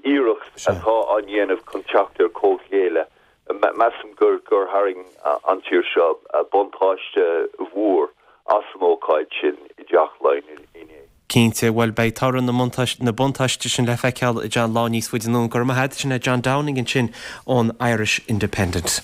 iarracht atá á ndéanamh chun teacht ar comhghéilleadh. Measaim gur tharraing an tír seo buntáiste mhór as an ócáid sin i dTeach Laighean inné. Cinnte, bhuel beidh toradh na buntáiste sin le feiceáil a John lá níos faide anonn. Go raibh maith agat, sin é John Downing ansin ón Irish Independent.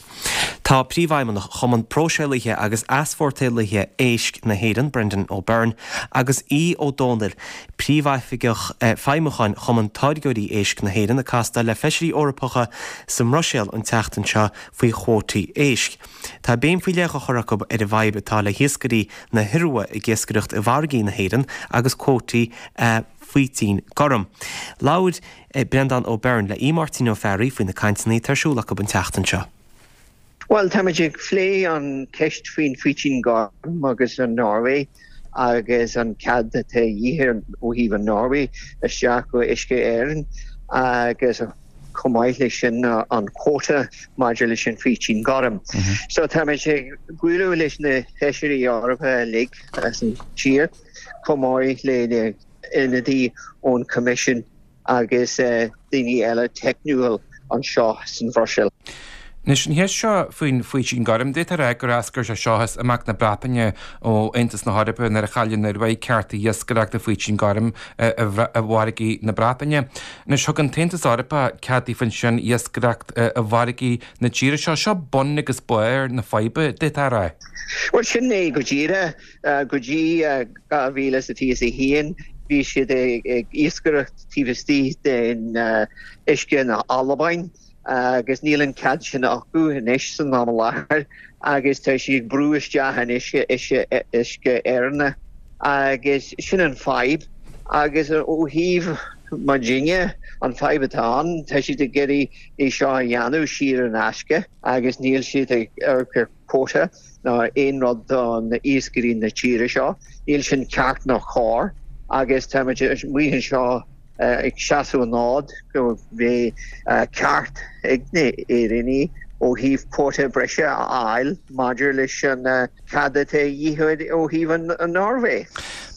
Tá Príomhfheidhmeannach Chumann Próiseálaithe agus Easpórtálaithe Éisc na hÉireann, Brendan O'Byrne, agus Aodh Ó Dónaill, Príomhoifigeach Feidhmiúcháin Chumann Táirgeoirí Éisc na hÉireann, ag castáil le Feisirí Eorpacha sa mBruiséil an tseachtain seo faoi chuótaí éisc. Tá béim faoi leith á chur acu ar an bhfadhb atá le hiascairí na hIorua ag iascaireacht i bhfarraigí na hÉireann agus cuótaí faoitín gorm. Labhair. Breandán O'Byrne le Aodh Máirtín Ó Fearraigh faoi na cainteanna atá ar siúl acu an tseachtain seo. Bhuel, táimid ag plé an ceist faoin faoitín gorm agus an Norway agus an cead atá a dhíth ó thaobh an Norway isteach go uisce Éireann agus chomh maith leis sin an quota maidir leis an faoitín gorm. So táimid ag bualadh leis na feisirí Eorpacha uilig as an tír chomh maith le na ionadaí ón Coimisiún agus daoine eile teicniúil anseo san Bhruiséil. Anois, an cheist seo faoin bhfaoitín gorm, d'fhéadfá a rá gur eascair sé seo as imeacht na Breataine ó Aontas na hEorpa nuair a chaill an Ioruaidh cearta iascaireachta faoitín gorm i bhfarraigí na Breataine. Anois, thug an tAontas Eorpach cead daofa ansin iascaireacht i bhfarraigí na tíre seo. Seo bun agus barr na faidhbe, d'fhéadfá a rá. Bhuel, sin é go díreach. Go dtí 2021 bhí siad ag iascaireacht taobh istigh den uisce na Albain agus níl an cead sin acu anois san am i láthair agus tá siad ag brú isteach in uisce Éireannach agus sin an fadhb agus ó thaobh muidinne an fadhb atá ann tá siad ag iarraidh é seo a dhéanamh saor in aisce agus níl siad ag amharc ar quota ná aon rud do na iascairí na tíre seo. Níl sin ceart ná cóir agus táimid amuigh anseo ag seasamh an fhóid go mbeidh ceart ag na Éireannaigh ó thaobh quota breise a fháil maidir leis an cead atá a dhíth ó thaobh an Norway.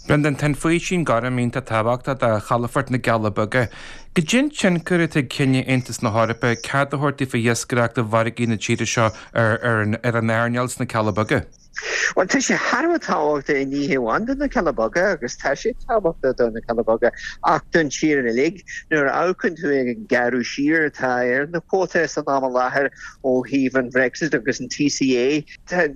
Brendan, tá an faoitín gorm iontach tábhachtach do chalafort na gCealla Beaga. Goidé an tionchar atá ag cinneadh Aontas na hEorpa cead a thabhairt daofa iascaireacht i bhfarraigí na tíre seo ar an earnáil sna Cealla Beaga? Bhuel, tá sé thar a bheith tábhachtach ní hamháin do na Cealla Beaga, agus tá sé tábhachtach do na Cealla Beaga, ach don tír uilig. Nuair a amharcann tú ag an gearradh siar atá ar na cuótaí san am i láthair ó thaobh an Bhrexit agus an TCA, tá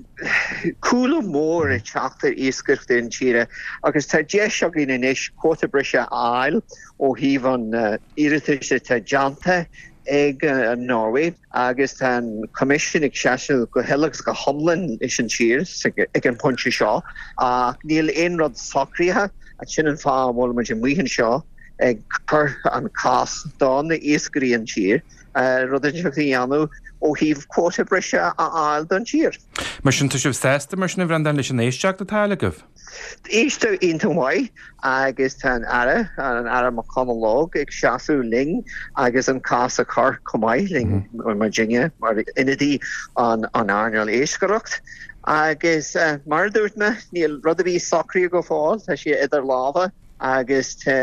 cúlú mór ag teacht ar iascaireacht na tíre agus tá deis againn anois cuóta breise a fháil ó thaobh an iarratais atá déanta ag an Norway agus tá an Coimisiún ag seasamh go huile agus go hiomlán leis an tír ag an bpointe seo ach níl aon rud socraithe agus sin an fáth a bhfuil muid amuigh anseo ag cur an cás do na iascairí an tír rud inteacht a dhéanamh ó thaobh quota breise a fháil don tír. Mar sin, tá sibh sásta mar sin a Bhreandáin leis an éisteacht atá agaibh? Éisteacht iontach maith agus tá an Aire, an Aire McConalogue ag seasamh linn agus an cás a chur chomh maith linn muidinne mar ionadaí an earnáil iascaireacht. Agus mar a dúirt mé, níl rud ar bith socraithe go fóill, tá sé idir lámha agus tá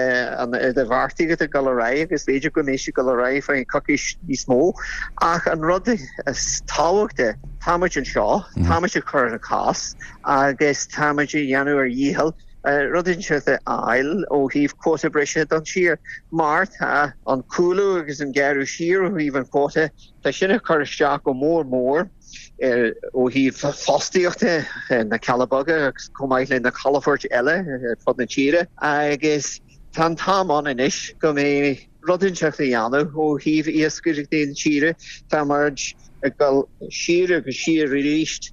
an idirbheartaíocht ag dul ar aghaidh agus b'fhéidir go mbeidh sé ag dul ar aghaidh faoi coicís níos mó. Ach an rud is tábhachtaí, táimid anseo, táimid ag cur an cás agus táimid ag déanamh ár dhícheall rud inteacht a fháil ó thaobh quota breise don tír mar tá an cúlú agus an gearradh siar ó thaobh an quota, tá sin ag cur isteach go mór mór ar ó thaobh fostaíochta na Cealla Beaga agus chomh maith le na calafoirt eile ar fud na tíre agus tá an t-am ann anois go mbeidh. rud inteacht a dhéanamh ó thaobh iascaireachtaí na tíre. Tá muid ag dul siar agus siar arís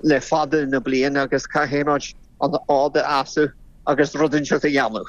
le fada na bliana agus caithfidh muid an fhód a sheasamh agus rud inteacht a dhéanamh.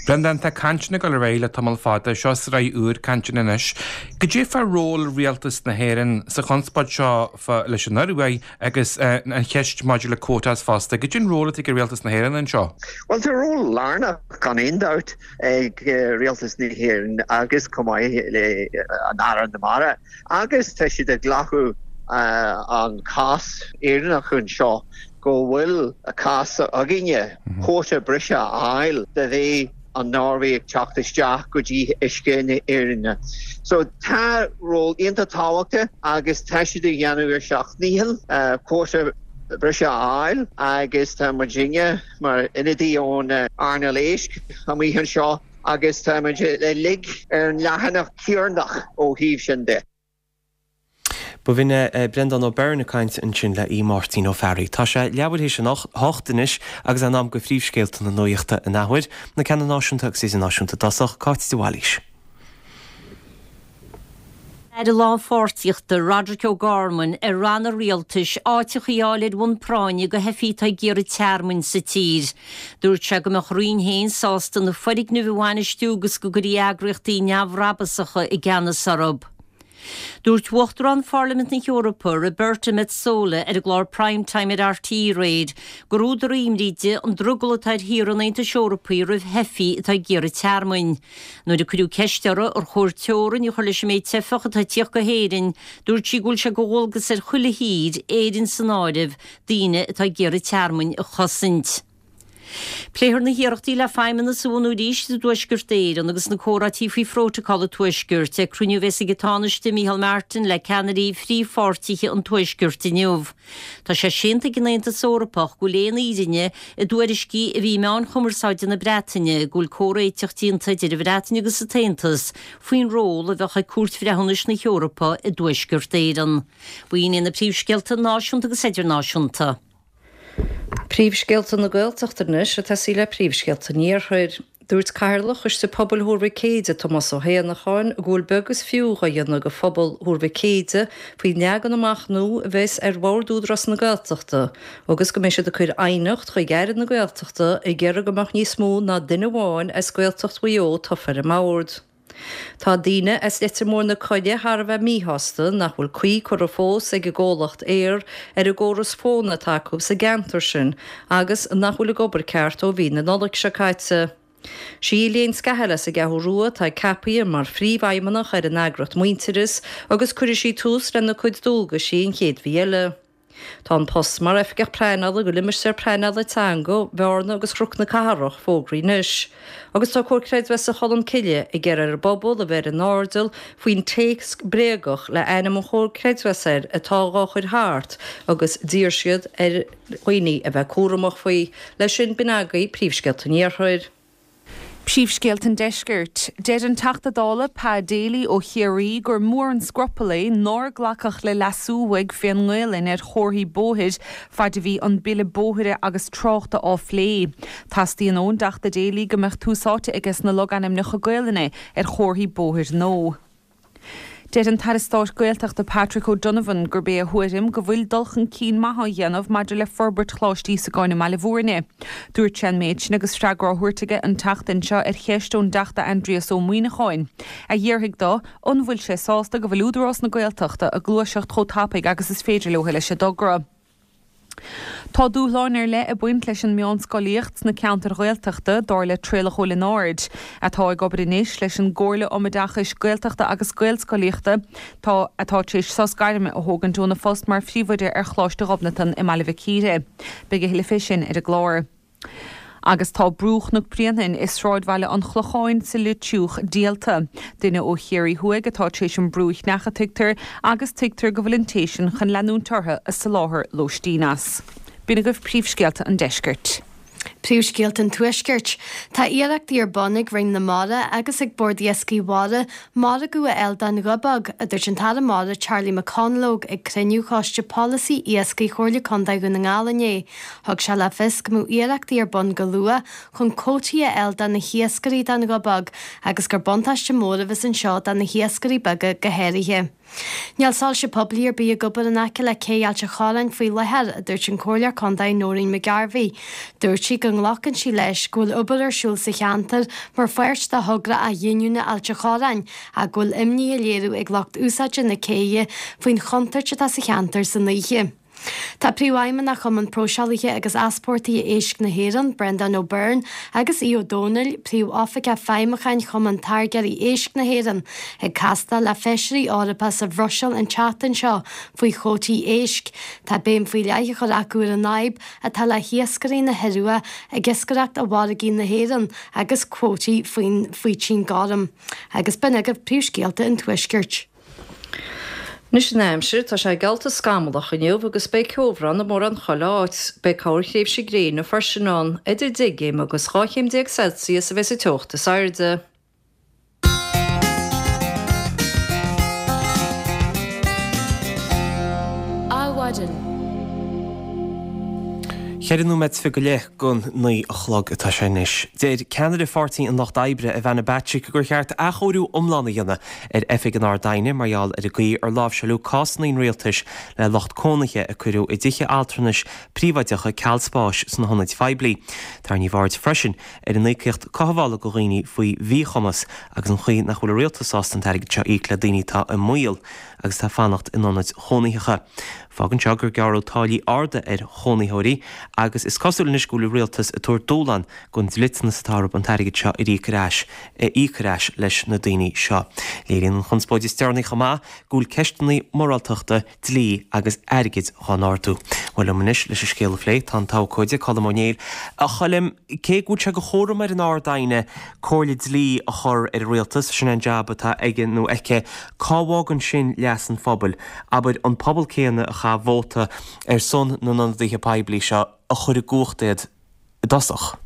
Breandán, tá cainteanna ag dul ar aghaidh le tamall fada, seo sraith úr cainteanna anois. Goidé fá ról Rialtas na hÉireann sa chonspóid seo fá leis an Ioruaidh agus an cheist maidir le quotas fosta? Goidé an ról atá ag Rialtas na hÉireann anseo? Bhuel, tá ról lárnach gan aon dabht ag Rialtas na hÉireann agus chomh maith le an Aire na Mara agus tá siad ag glacadh an cás Éireannach anseo go bhfuil cás againne quota breise a fháil de bheith an Norway ag teacht isteach go dtí uisce na hÉireann. So tá ról iontach tábhachtach agus tá siad ag dhéanamh ar seacht ndícheall quota breise a fháil agus tá muidinne mar ionadaí ón earnáil éisc amuigh anseo agus tá muid uilig ar an leathanach céanna ó thaobh sin de. B'in é Breandán Ó Beirn ag caint ansin le Aodh Máirtín Ó Fearraigh. Tá sé leathuair théis an hocht anois agus in am go phríomhscéalta na nuachta an athuair, na ceanna náisiúnta agus idirnáisiúnta i dtosach, Cáit de Bhailís. Aire Lánpháirtíochta, Roderic O'Gorman, ar ranna rialtais áiteacha a fháil ar bhonn práinne do theifigh atá ag iarraidh tearmainn sa tír. Dúirt sé go mbeadh a roinn féin sásta na foirgnimh a bhainistiú agus go gcuirfí eagraíochtaí neamhbhrabasacha i gceannas orthu. Dúirt Uachtarán Pharlaimint na hEorpa, Roberta Metsola, ar an gclár Prime Time ar RTÉ aréir, gur údar imní di an drogall atá ar thíortha an Aontais Eorpaigh roimh theifigh atá ag iarraidh tearmainn. Nuair a cuireadh ceist uirthi ar chóir teorainn a chur leis an méid teifeach atá ag tíocht go hÉirinn, dúirt sí go bhfuil sé de dhualgas ar chuile thír, Éirinn san áireamh, daoine atá ag iarraidh tearmainn a chosaint. Pléifear na hiarrachtaí le Feidhmeannas a bhunú arís i dTuaisceart Éireann agus na comhráití faoi Phrótacal an Tuaiscirt ag cruinniú a bheas ag an Tánaiste Micheál Martin le ceannairí phríomhpháirtithe an Tuaiscirt inniu. Tá sé séanta ag an Aontas Eorpach go bhfuil aon fhírinne i dtuairiscí a bhí i meáin chumarsáide na Breataine go bhfuil comhréiteach déanta idir an Bhreatain agus an tAontas faoin ról a bheadh ag Cúirt Bhreithiúnais na hEorpa i dTuaisceart Éireann. B'in iad na príomhscéalta náisiúnta agus idirnáisiúnta. Príomhscéalta na Gaeltachta anois ag tosaí le príomhscéalta an Iarthair. Dúirt Cathaoirleach Choiste Pobail Thuar Mhic Éide, Tomás Ó hÉanacháin, go bhfuil beag is fiú dhá dhéanamh go phobal Thuar Mhic Éide faoin leagan amach nua a bheas ar Bhord Údarás na Gaeltachta agus go mbeidh siad ag cur aighneacht chuig Aire na Gaeltachta ag iarraidh go mbeadh níos mó ná duine amháin as Gaeltacht Mhaigh Eo tofa ar an mbord. Tá daoine as Leitir Móir na Coille thar a bheith míshásta nach bhfuil caoi curtha fós ag an gcomhlacht Eir ar an gcóras fóna atá acu sa gceantar sin agus nach bhfuil ag obair ceart ó mhí na Nollag seo caite. Sí Elaine Scahill as an gCeathrú Rua atá ceapaithe mar phríomhfheidhmeannach ar an eagraíocht Muintearas agus cuirfidh sí tús lena cuid dualgaisí an chéad mhí eile. Tá an post mar Oifigeach Pleanála do Limistéar Pleanála Teanga Bhearna agus Chnoc na Cathrach fógraithe anois. Agus tá Comhar Creidmheasa Cholmcille ag iarraidh ar an bpobal a bheith ar a n-airdeall faoin téacs bréagach le ainm an Chomhar Creidmheasa air atá dhá chur thart agus d'iarr siad ar dhaoine a bheith cúramach faoi. Leis sin, b'in agaibh príomhscéalta an Iarthair. Príomhscéalta an Deiscirt. Deir an Teachta Dála Pa Daly ó Chiarraí gur mór an scrupall é nár glacadh le leasú uaidh fén nGaelainn ar chomharthaí bóthair faid a bhí an Bille Bóithre agus Tráchta á phlé. Teastaíonn ón dTeachta Daly go mbeadh tús áite aiges na logainmneacha Gaelainne ar chomharthaí bóthair nua. Deir an tAire Stáit Gaeltachta Patrick O'Donovan gurb é a thuairim go bhfuil dul chun cinn maith á dhéanamh maidir le forbairt Choláiste Íosagáin i mBaile Bhúirne. Dúirt sé an méid sin agus freagra á thabhairt aige an tseachtain seo ar cheist ón dTeachta Aindrias Ó Muíneacháin, a d'fhiafraigh de an bhfuil sé sásta go bhfuil Údarás na Gaeltachta ag gluaiseacht chomh tapaidh agus is féidir leo leis an dtogra. Tá dúshláin ar leith ag baint leis an meánscolaíocht sna ceantair Ghaeltachta, dar le Traolach Ó Lionáird, atá ag obair anois leis an gComhairle um Oideachais Gaeltachta agus Gaelscolaíochta, tá atá tar éis sos gairme a thógaint óna phost mar phríomhoide ar Choláiste Ghobnatan i mBaile Mhic Íre. Beidh a thuilleadh fé sin ar an gclár. Agus tá Brú Chnoc Bréanainn i sráidbhaile an Chlocháin sa Leitriúch díolta. Duine ó Chiarraí Thuaidh atá tar éis an brú a cheannach, tuigtear, agus tuigtear go bhfuil an té sin chun leanúint orthu ag soláthar lóistín as. B'in agaibh príomhscéalta an deiscirt. Príomhscéalta an Tuaiscirt. Tá iarrachtaí ar bun ag Roinn na Mara agus ag Bord Iascaigh Mhara margadh a fháil don ghiobóg, a dúirt an tAire Mara Charlie McConalogue ag cruinniú Choiste Polasaí Iascaigh Chomhairle Contae Dhún na nGall inné. Thug sé le fios go mbeadh iarrachtaí ar bun go luath chun cuótaí a fháil do na hiascairí don ghiobóg agus gur buntáiste mór a bheas anseo do na hiascairí beaga go háirithe. Níl soilse poiblí ar bith ag obair in aice le Cé Ailt an Chorráin faoi láthair, a dúirt an Comhairleoir Contae Nóirín McGarvey. Dúirt sí go nglacann sí leis go bhfuil obair ar siúl sa cheantar mar pháirt de thogra athghiniúna Ailt an Chorráin ach go bhfuil imní á léiriú ag lucht úsáide na céidhe faoin chontúirt atá sa cheantar san oíche. Tá Príomhfheidhmeannach Chumann Próiseálaithe agus Easpórtaithe Éisc na hÉireann, Breandán O'Byrne, agus Aodh Ó Domhnaill, Príomh-Oifigeach Feidhmiúcháin Chumann Táirgeoirí Éisc na hÉireann, ag castáil le Feisirí Eorpacha sa Bhruiséil an tseachtain seo faoi chuótaí éisc. Tá béim faoi leith á chur acu ar an fhadhb atá le hiascairí na hIorua ag iascaireacht i bhfarraigí na hÉireann agus cuótaí faoin bhfaoitín gorm. Agus b'in agaibh príomhscéalta an Tuaiscirt. Anois an aimsir, tá sé geallta scamallach inniu agus beidh ceobhrán i mórán chuile áit. Beidh corrthréimhse gréine freisin ann. Idir 10 gcéim agus 12 chéim Celsius a bheas an teocht is airde. Adhmhaidin. Cheithre nóiméad is fiche go leith don 9 a chlog atá sé anois. Deir ceannaire Pháirtí an Lucht Oibre, Ivana Bacik, gur cheart athchóiriú iomlán a dhéanamh ar Oifig an Ard-Aighne mar gheall ar an gcaoi ar láimhseáileadh cásanna an rialtais le lucht cónaithe a cuireadh i dtithe altranais príobháideacha ceal spáis sna hionaid phoiblí. Tarraingíodh aird freisin ar an íocaíocht cothabhála do dhaoine faoi mhíchumas agus an chaoi nach bhfuil an rialtas sásta an t-airgead seo a íoc le daoine atá i mbaol agus atá ag fanacht in ionaid chónaitheacha. Fágann seo gur gearradh táillí arda ar chónaitheoirí agus is cosúil anois go bhfuil an rialtas ag tabhairt dúshlán don dliteanas atá orthu an t-airgead seo a íoc ar ais a íoc ar ais leis na daoine seo. Léiríonn an chonspóid is deireanaí chomh maith go bhfuil ceisteanna moráltachta, dlí agus airgid dhá n-ardú. Bhuel liom anois leis an scéal a phlé tá an t-abhcóide Colm Ó Néill. A Choilm, cé go bhfuil sé de chúram ar an Ard-Aighne comhairle dlí a chur ar an rialtas, sin é an jab atá aige nó aici, cá bhfágann sin leas an phobail? Abair, an pobal céanna a chaith vóta ar son na n-ionadaithe poiblí seo a chuir i gcumhacht iad i dtosach.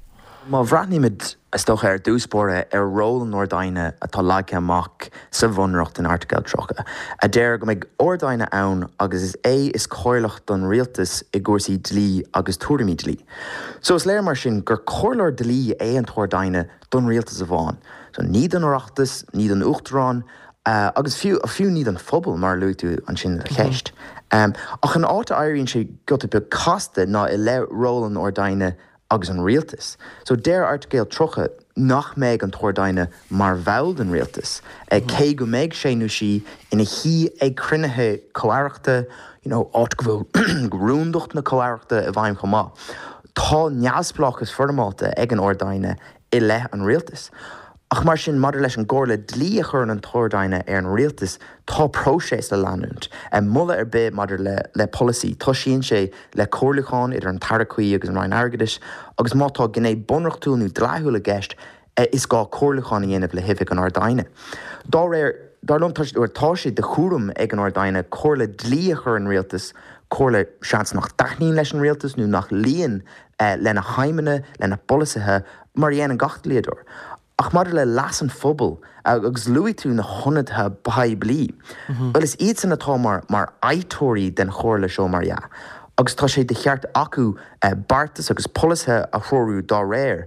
Má bhreathnaímid, is dócha, ar dtús báire ar ról an Ard-Aighne atá leagtha amach sa Bhunreacht in Airteagal 30, a deir go mbeidh Ard-Aighne ann agus is é is comhairleach don Rialtas i gcúrsaí dlí agus tuairimí dlí. So is léir mar sin gur comhairleoir dlí é an tArd-Aighne don Rialtas amháin. So ní don Oireachtas, ní don Uachtarán, agus fiú, fiú ní don phobal, mar a luaigh tú ansin i do cheist. Ach an áit a éiríonn sé giota beag casta ná i leith ról an Ard-Aighne agus an Rialtais. So deir Airteagal 30 nach mbeidh an tArd-Aighne mar bhall den Rialtas, cé go mbeidh sé nó sí ina shuí ag cruinnithe comh-aireachta, you know, áit go bhfuil rúndacht na comh-aireachta i bhfeidhm chomh maith. Tá neamhspleáchas foirmeálta ag an Ard-Aighne i leith an Rialtais. Ach mar sin, maidir leis an gcomhairle dlí a chuireann an tArd-Aighne ar an Rialtas, tá próiseas le leanúint. Moladh ar bith maidir le polasaí, toisíonn sé le comhairliúchán idir an tAire cuí agus an Roinn Airgeadais, agus má tá gné bunreachtúil nó dleathúil i gceist, is gá comhairliúchán a dhéanamh le hOifig an Ard-Aighne. Dá réir, dar liom, tá sé de chúram ag an Ard-Aighne comhairle dlí a chur ar an Rialtas, comhairle, seans, nach dtaitníonn leis an Rialtas nó nach luíonn lena haidhmeanna, lena bpolasaithe, mar a dhéanann gach dlíodóir. Ach maidir le leas an phobail, agus luaigh tú na hionadaithe poiblí, bhuel is iadsan atá mar mar fhaighteoirí den chomhairle seo mar dhea, agus tá sé de cheart acu beartas agus polasaithe a threorú dá réir,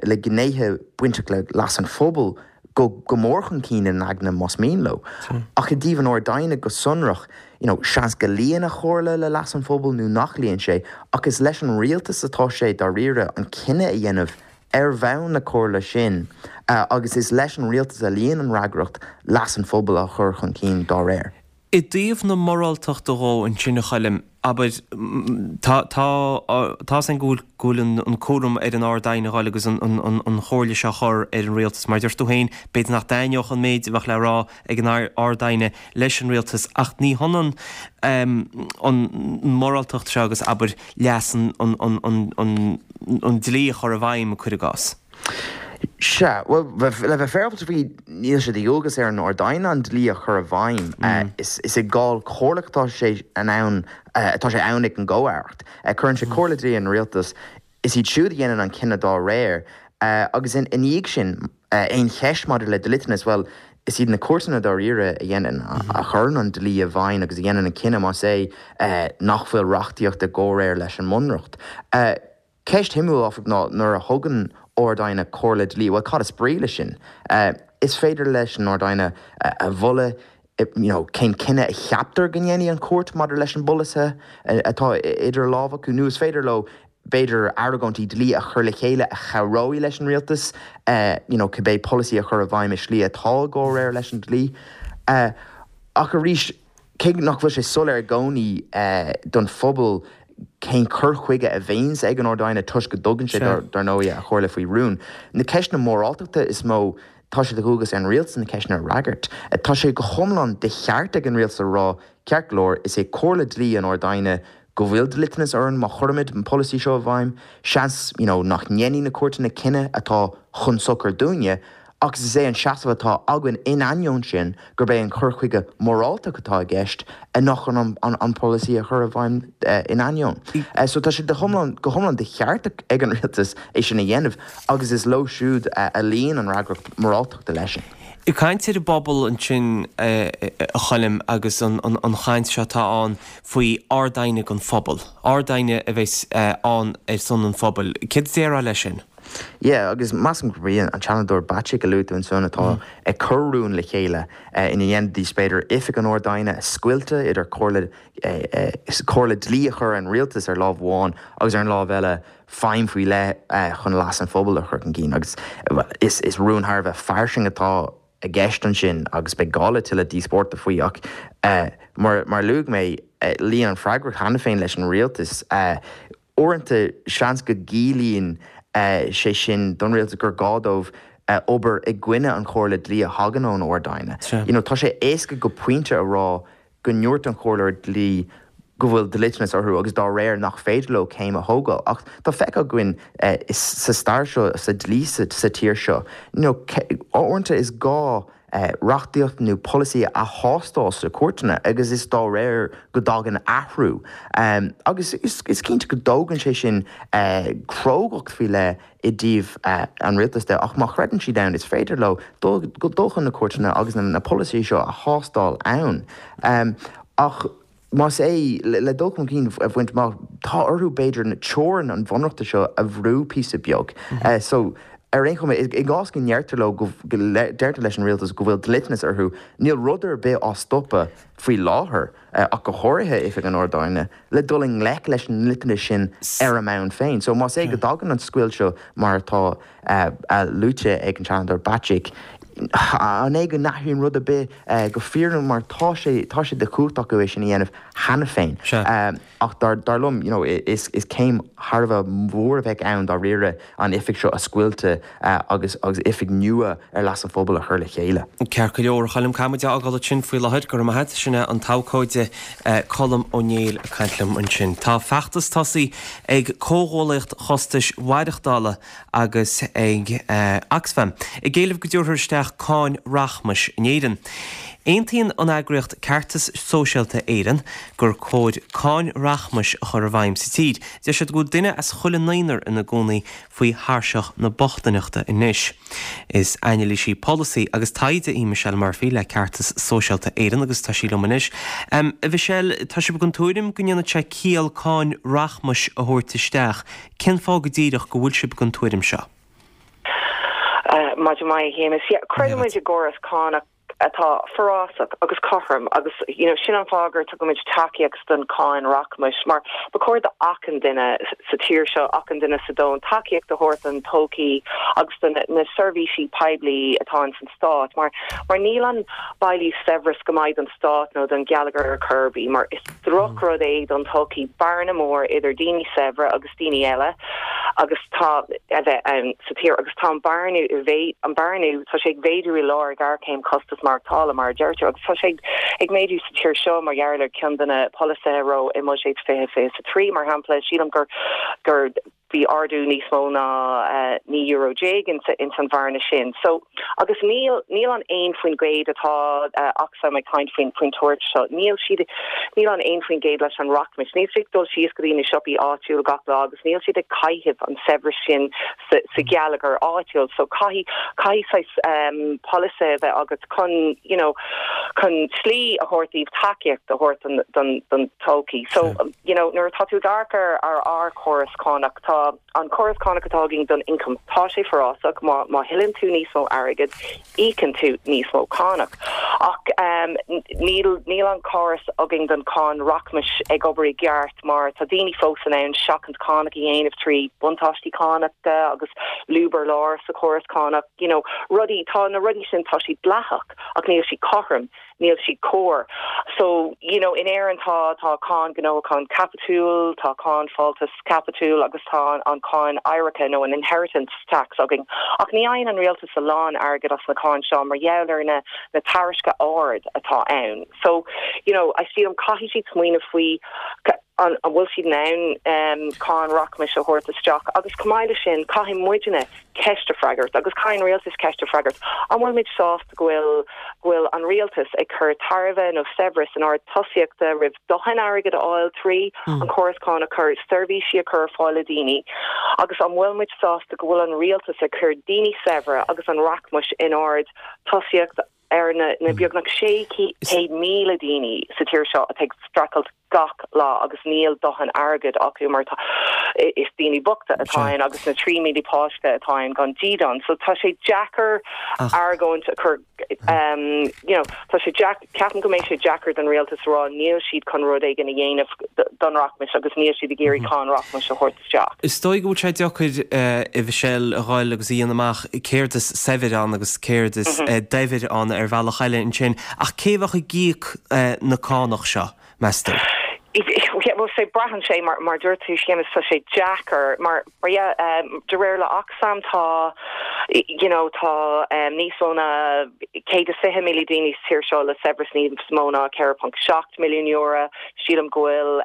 le gnéithe bainteach le leas an phobail go go mór chun cinn ina n-aigne más mian leo. Ach i dtaobh an Ard-Aighne go sonrach, you know, seans go luíonn a chomhairle le leas an phobail nó nach luíonn sé, ach is leis an rialtas atá sé dáiríre an cinneadh a dhéanamh ar bhonn na comhairle sin agus is leis an rialtas a luíonn an fhreagracht leas an phobail a chur chun cinn dá réir. I dtaobh na moráltachta dhó ansin, a Choilm, abair, tá, tá, tá's againn go bhfuil, go bhfuil an, an cúram ar an Ard-Aighne a dhul agus an, an, an, an chomhairle seo a chur ar an rialtas. Mar a deir tú féin, b'fhéidir nach dtaitneodh an méid a bheadh le rá ag an Ard-Aighne leis an rialtas ach ní hionann an mhoráltacht seo agus, abair, leas an, an, an, an, an, an dlí a chur i bhfeidhm, cuir i gcás. Sea, bhuel, le bheith féaráilte faoi, níl sé de dhualgas ar an Ard-Aighne an dlí a chur i bhfeidhm. Is i gcáil chomhairleach atá sé in ann, atá sé ann ag an gComh-Aireacht. Cuireann sé comhairle dlí ar an rialtas. Is iad siúd a dhéanann an cinneadh dá réir. Agus ina dhiaidh sin, aon cheist maidir le dliteanas, bhuel, is iad na cúirteanna dáiríre a dhéanann, a chuireann an dlí i bhfeidhm agus a dhéanann an cinneadh más é nach bhfuil reachtaíocht i gcomhréir leis an mBunreacht. Ceist shuimiúil, áfach, ná nuair a thugann Ard-Aighne comhairle dlí, bhuel, cad is brí leis sin? Is féidir leis an Ard-Aighne a mholadh you know cén cinneadh a cheaptar go ndéanfaidh an chúirt maidir leis an bpolasaithe atá idir lámha acu, nó is féidir leo, b'fhéidir, argóintí dlí a chur le chéile a chabhróidh leis an rialtas you know cibé polasaí a chur i bhfeidhm i slí atá i gcomhréir leis an dlí. Ach arís, cé nach bhfuil sé soiléir i gcónaí don phobal cén cur chuige a bhíonns ag an Ard-Aighne toisc go dtugann sé, dar ndóigh, a chomhairle faoi rún, na ceisteanna móráltachta is mó, Tá sé de dhualgas ar an rialtas na ceisteanna a fhreagairt. Tá sé go hiomlán de cheart ag an rialtas a rá, ceart go leor, is é comhairle dlí an Ard-Aighne go bhfuil dliteanas orainn má chuirimid an polasaí seo i bhfeidhm. Seans, you know, nach ndéanfaidh na cúirteanna cinneadh atá chun sochair dúinne, ach is é an seasamh atá againn in ainneoin sin gurb é an cur chuige moráltach atá i gceist ná chun an polasaí a chur i bhfeidhm in ainneoin. So tá sé go hiomlán de cheart ag an rialtas é sin a dhéanamh agus is leo siúd a luíonn an fhreagracht mhoráltachta leis sin. Ag caint ar an bpobal ansin, a Choilm, agus an chaint seo atá ann faoi Ard-Aighne don phobal, Ard-Aighne a bheas ann ar son an phobail, céard a déarfá leis sin? Yeah, agus measaim gurb í an Seanadóir Bacik a luaigh tú ansan atá ag cur rún le chéile ina ndéanfaidís b'fhéidir oifig an Ard-Aighne a scoilteadh idir comhairle comhairle dlí a chur ar an rialtas ar lámh amháin agus ar an lámh eile feidhm faoi leith chun leas an phobail a chur chun cinn agus is is rún thar a bheith fairsing atá i gceist ansin agus beidh gá le tuilleadh díospóireachta faoi ach mar mar a luaigh mé luíonn an freagracht cheana féin leis an rialtas. Uaireanta, seans go gciallaíonn sé sin don rialtas gur gá dóibh obair i gcoinne an chomhairle dlí a thagann ón Ard-Aighne. You know, tá sé éasca go pointe a rá go ndúirt an comhairleoir dlí go bhfuil dliteanas orthu agus dá réir nach féidir leo céim a thógáil. Ach tá feicthe againn sa stair seo, sa dlí sa tír seo, you know, uaireanta is gá reachtaíocht nó polasaí a thástáil sna cúirteanna agus is dá réir go dtagann athrú. Agus is cinnte go dtógann sé sin crógacht faoi leith i dtaobh an rialtais de ach má chreideann siad ann is féidir leo dul chun na cúirteanna agus na polasaithe seo a thástáil ann. Ach. Más é, le dul chun cinn a bhaint amach, tá orthu, b'fhéidir, na teorainn an bhunreachta seo a bhrú píosa beag. So, ar aon chuma, i gcás go ndeirtear leo, go deirtear leis an rialtas go bhfuil dliteanas orthu, níl rud ar bith á stopadh faoi láthair, ach go háirithe Oifig an Ard-Aighne, le dul i ngleic leis an ndliteanas sin ar a mbonn féin. So, más é go dtagann an scoilt seo mar atá luaite ag an Seanadóir Bacik, an é go n-athraíonn rud ar bith go fírinneach mar tá sé, tá sé de chumhacht acu é sin a dhéanamh cheana féin. Ach dar, dar liom, you know, is, is céim thar a bheith mhór a bheadh ann dáiríre an oifig seo a scoilteadh agus, agus oifig nua ar leas an phobail a chur le chéile. Ceart go leor, a Choilm, caithfidh muid a fhágáil ansin faoi láthair. Go raibh maith agat. Sin é an t-abhcóide Colm Ó Néill ag caint liom ansin. Tá feachtas tosaithe ag Comhghuallaíocht Chostais Mhaireachtála agus ag Oxfam, ag éileamh go dtabharfar isteach cáin rachmais in Éirinn. Aontaíonn an eagraíocht Ceartas Sóisialta Éireann gur cóir cáin rachmais a chur i bhfeidhm sa tír. Deir siad go bhfuil duine as chuile naonúr ina gcónaí faoi thairseach na bochtaineachta anois. Is anailísí polasaí agus taighde í Michelle Murphy le Ceartas Sóisialta Éireann agus tá sí liom anois. A Mhichelle, tá sibh den tuairim go ndéanfadh sé ciall cáin rachmais a thabhairt isteach. Cén fáth go díreach go bhfuil sibh den tuairim seo? Maidin mhaith, a Shéamais. Yeah, creideann muid i gcóras cánach atá forásach agus cothrom agus you know sin an fáth gur tugaimid tacaíocht don cáin rachmais mar ba chóir do achan duine sa tír seo, achan duine sa domhan tacaíocht a thabhairt don todhchaí agus do na seirbhísí poiblí atá ins an stát mar mar níl an bailiú saibhreas go maith don stát nó don gheilleagar ar chor ar bith mar is drochrud é don tsochaí bearna mór idir daoine saibhre agus daoine eile agus tá a bheith ann sa tír agus tá an bearnú an bearnú tá sé ag mhéadú i lár ghéarchéim costas maireachtála mar a deirtear agus tá sé ag méadú sa tír seo mar gheall ar ceann de na polasaithe a raibh i mbuiséad 2023 mar shampla sílim gur gur. Bhí ardú níos mó ná €19 ins an bhearna sin. So, agus níl, níl an 1% atá Oxfam ag caint faoin, faoin tuairisc seo, níl siad, níl an 1% leis an rachmas, níl siad ag dul síos go dtí na siopaí áitiúil gach lá agus níl siad ag caitheamh an saibhreas sin sa, sa gheilleagar áitiúil. So caithfidh, caithfidh saghas polasaithe a bheith agat chun, you know, chun slí a thabhairt daoibh tacaíocht a thabhairt don, don, don todhchaí. So, you know, nuair atá tú ag amharc ar ar ár chóras cánach, tá an córas cánach atá againn don ioncam, tá sé forásach, má má thuilleann tú níos mó airgid, íocann tú níos mó cánach. Ach um, níl níl an córas againn don cháin rachmais ag obair i gceart mar tá daoine fós in ann seachaint cánach a dhéanamh trí buntáistí cánachta agus lúb ar lár sa chóras cánach, you know, rudaí, tá na rudaí sin, tá siad dleathach ach níl siad cothrom. níl siad cóir. So, you know, in Éirinn tá, tá cáin gnóthachan caipitiúil, tá cáin fáltas caipitiúil agus tá an cáin oidhreachta nó an inheritance tax againn. Ach ní fhaigheann an rialtas a lán airgid as na cáin seo mar gheall ar na, na taraisce ard atá ann. So, you know, I sílim caithfidh siad smaoineamh faoi an, an bhfuil siad in ann cáin rachmais a thabhairt isteach agus chomh maith leis sin caithfidh muidne ceist a freagairt agus caithfidh an rialtas ceist a freagairt, an bhfuil muid sásta go bhfuil go bhfuil an rialtas ag cur tairbhe nó saibhreas in ord tosaíochta roimh dóthain airgid a fháil trí an córas cánach chun seirbhísí a chur ar fáil le daoine agus an bhfuil muid sásta go bhfuil an rialtas ag cur daoine saibhre agus an rachmais in ord tosaíocht ar na na beagnach 600,000 daoine sa tír seo atá ag streachailt gach lá agus níl dóthain airgid acu mar tá is daoine bochta atá ann agus na 3,000 páiste atá ann gan dídean. So tá sé deacair argóint a chur you know tá sé deac ceapaim go mbeidh sé deacair don rialtas a rá níl siad chun rud éigin a dhéanamh don rachmas agus níl siad ag iarraidh cáin rachmais a thabhairt isteach. Is dóigh go bhfuil sé deacair, a Mhichelle, a dhul agus a dhéanamh amach céard is saibhir ann agus céard is daibhir ann ar bhealach eile ansin, ach cé a bheadh ag íoc na cánach seo, meas tú? Bhuel, sé, braitheann sé, mar mar dúirt tú, Séamus, tá sé deacair, mar, mar yeah, de réir le Oxfam tá, you know, tá níos mó ná 120,000 daoine sa tír seo le saibhreas níos mó ná €4.7 milliún. Sílim go bhfuil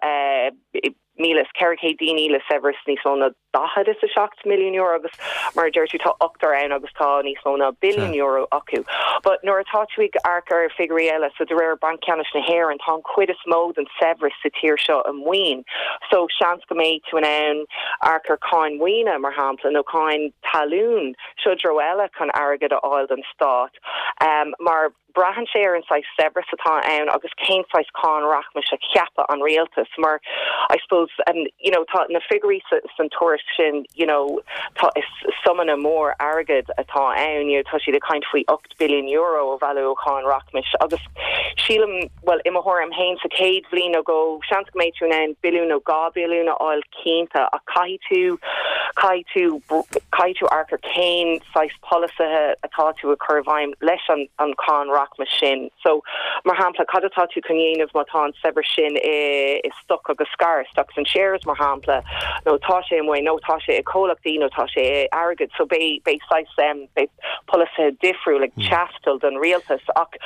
1,400 daoine le saibhreas níos mó ná €47 milliún agus mar a deir tú tá ochtar ann agus tá níos mó ná billiún euro acu. But nuair atá tú ag amharc ar figiúirí eile, so de réir Banc Ceannais na hÉireann tá an chuid is mó den saibhreas sa tír seo i maoin. So seans go mbeidh tú in ann amharc ar cáin maoine mar shampla nó cáin talún, seo treo eile chun airgead a fháil don stát. Mar Braitheann sé ar an saghas saibhreas atá ann agus cén saghas cáin rachmais a cheapfaidh an rialtas mar I suppose you know tá na figiúirí san tuairisc sin you know tá is suimeanna mór airgid atá ann you know tá siad ag caint faoi €8 billiún a bhailiú ó cháin rachmais agus sílim bhuel i mo thuairim féin sa chéad bhliain nó dhó seans go mbeidh tú in ann billiún nó 2 billiún a fháil cinnte ach caithfidh tú caithfidh tú caithfidh tú amharc ar cén saghas polasaithe atá tú ag cur i bhfeidhm leis an an cháin rachmais sin. So, mar shampla, cad atá tú chun dhéanamh má tá an saibhreas sin i i stoc agus scair, stocks and shares, mar shampla, nó tá sé i maoin, nó tá sé i comhlachtaí, nó tá sé i airgead. So beidh beidh saghas em beidh polasaithe difriúil ag teastáil don rialtas ach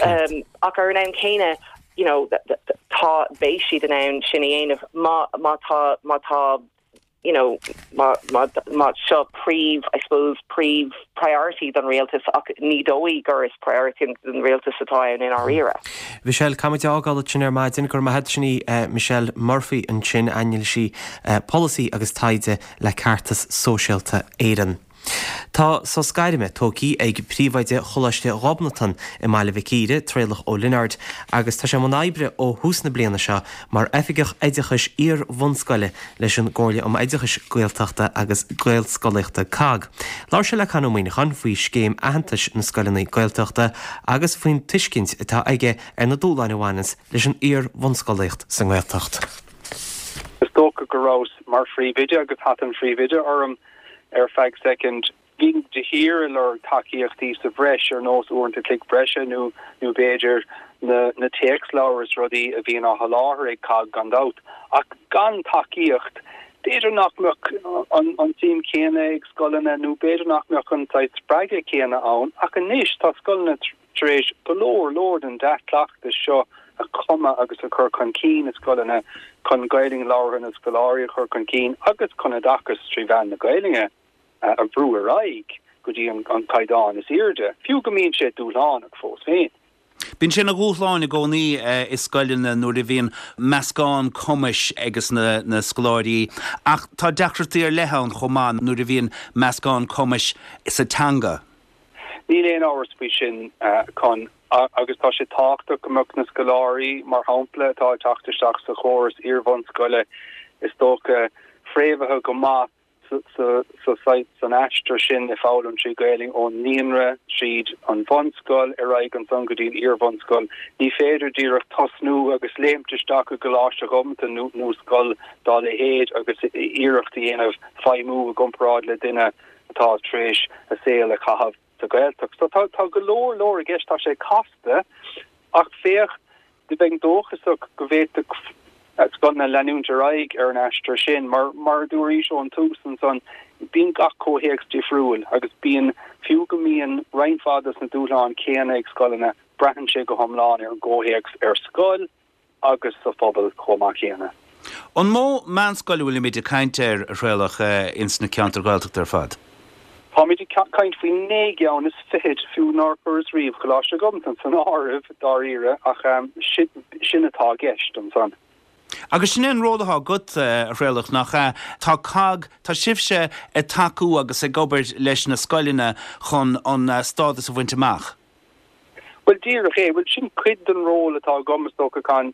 em ach ar an am céanna, you know, tá beidh siad in ann sin a dhéanamh má má tá má tá you know, má, má, má seo príomh, I suppose, príomh priority don rialtas ach ní dóigh gur is priority don rialtas atá ann i ndáiríre. Michelle, caithfimid a fhágáil ansin ar maidin. Go raibh maith agat sin í Michelle Murphy ansin, anailísí polasaí agus taighde le Ceartas Sóisialta Éireann. Tá sos gairme tógtha ag príomhoide Choláiste Ghobnatan i mBaile Mhic Íre, Traolach Ó Lionáird, agus tá sé i mbun oibre ó thús na bliana seo mar Oifigeach Oideachais Iar-bhunscoile leis an gComhairle um Oideachais Gaeltachta agus Gaelscolaíochta, COGG. Labhair sé le Con Ó Muíneacháin faoi scéim aitheantais na scoileanna Gaeltachta agus faoin tuiscint atá aige ar na dúshláin a bhaineanns leis an iar-bhunscolaíocht sa nGaeltacht. Is dócha go rabhas mar phríomhoide agus hata an phríomhoide orm ar feadh soicind. Bhínn de shíor ag lorg tacaíochtaí sa bhreis, ar nós uaireanta chloig breise nó nó b'fhéidir na na téacsleabhair is rudaí a bhíonn á sholáthar ag cogg gan dabht. Ach gan tacaíocht, b'fhéidir nach mbeadh an an tsuim chéanna ag scoileanna nó b'fhéidir nach mbeadh an saghas spreagadh céanna ann. Ach anois tá scoileanna tar éis go leor leor den dea-chleachtas seo. a chumadh agus a chur chun cinn i scoileanna chun Gaelainn labhartha na scoláirí a chur chun cinn agus chun oideachas trí mheán na Gaelainne a bhrú ar aghaidh go dtí an caighdeán is airde, fiú go mbíonn sé dúshlánach fós féin. Bíonn sé ina dhúshlán i gcónaí i scoileanna nuair a bhíonn meascán cumais ages na scoláirí ach tá deacrachtaí ar leith ann chomh maith nuair a bhíonn meascán cumais sa teanga. Níl aon amhras faoi sin, Con, agus tá sé tábhachtach go mbeadh na scoláirí, mar shampla, atá ag teacht isteach sa chóras iarbhunscoile, is dócha, fréamhaithe go maith san aistear sin ag foghlaim trí Ghaelainn ón naíonra, tríd an bhunscoil, ar aghaidh ansan go dtí an iarbhunscoil. Ní féidir díreach tosnú agus léimt isteach i gColáiste Ghobnatan nó scoil dá leithéid agus iarracht a dhéanamh feidhmiú i gcomparáid le duine atá tar éis a saol a chaitheamh sa Ghaeltacht. So tá go leor leor i gceist, tá sé casta ach féach, bheinn dóchasach go bhféadfadh scoileanna leanúint ar aghaidh ar an aistear sin mar, mar a dúraís ón tús ansan, bíonn gach comhthéacs difriúil agus bíonn, fiú go mbíonn roinnt mhaith dos na dúshláin céanna ag scoileanna, braitheann sé go hiomlán ar an gcomhthéacs ar scoil agus sa phobal chomh maith céanna. An mó meánscoil a bhfuilimid ag caint air, a Thraolach, ins na ceantair Ghaeltachta ar fad? Táimid ag caint faoi naoi gceann is fichid, fiú nár chuireas riamh Coláiste Ghobnatan san áireamh, dáiríre, ach sin atá i gceist ansan. Agus sin é an ról atá agat, a Thraolach, nach ea? Tá cogg, tá sibhse ag tacú agus ag obair leis na scoileanna chun an stádas a bhaint amach. Bhuel, díreach é. Bhuel, sin cuid den ról atá agam, is dócha, Con,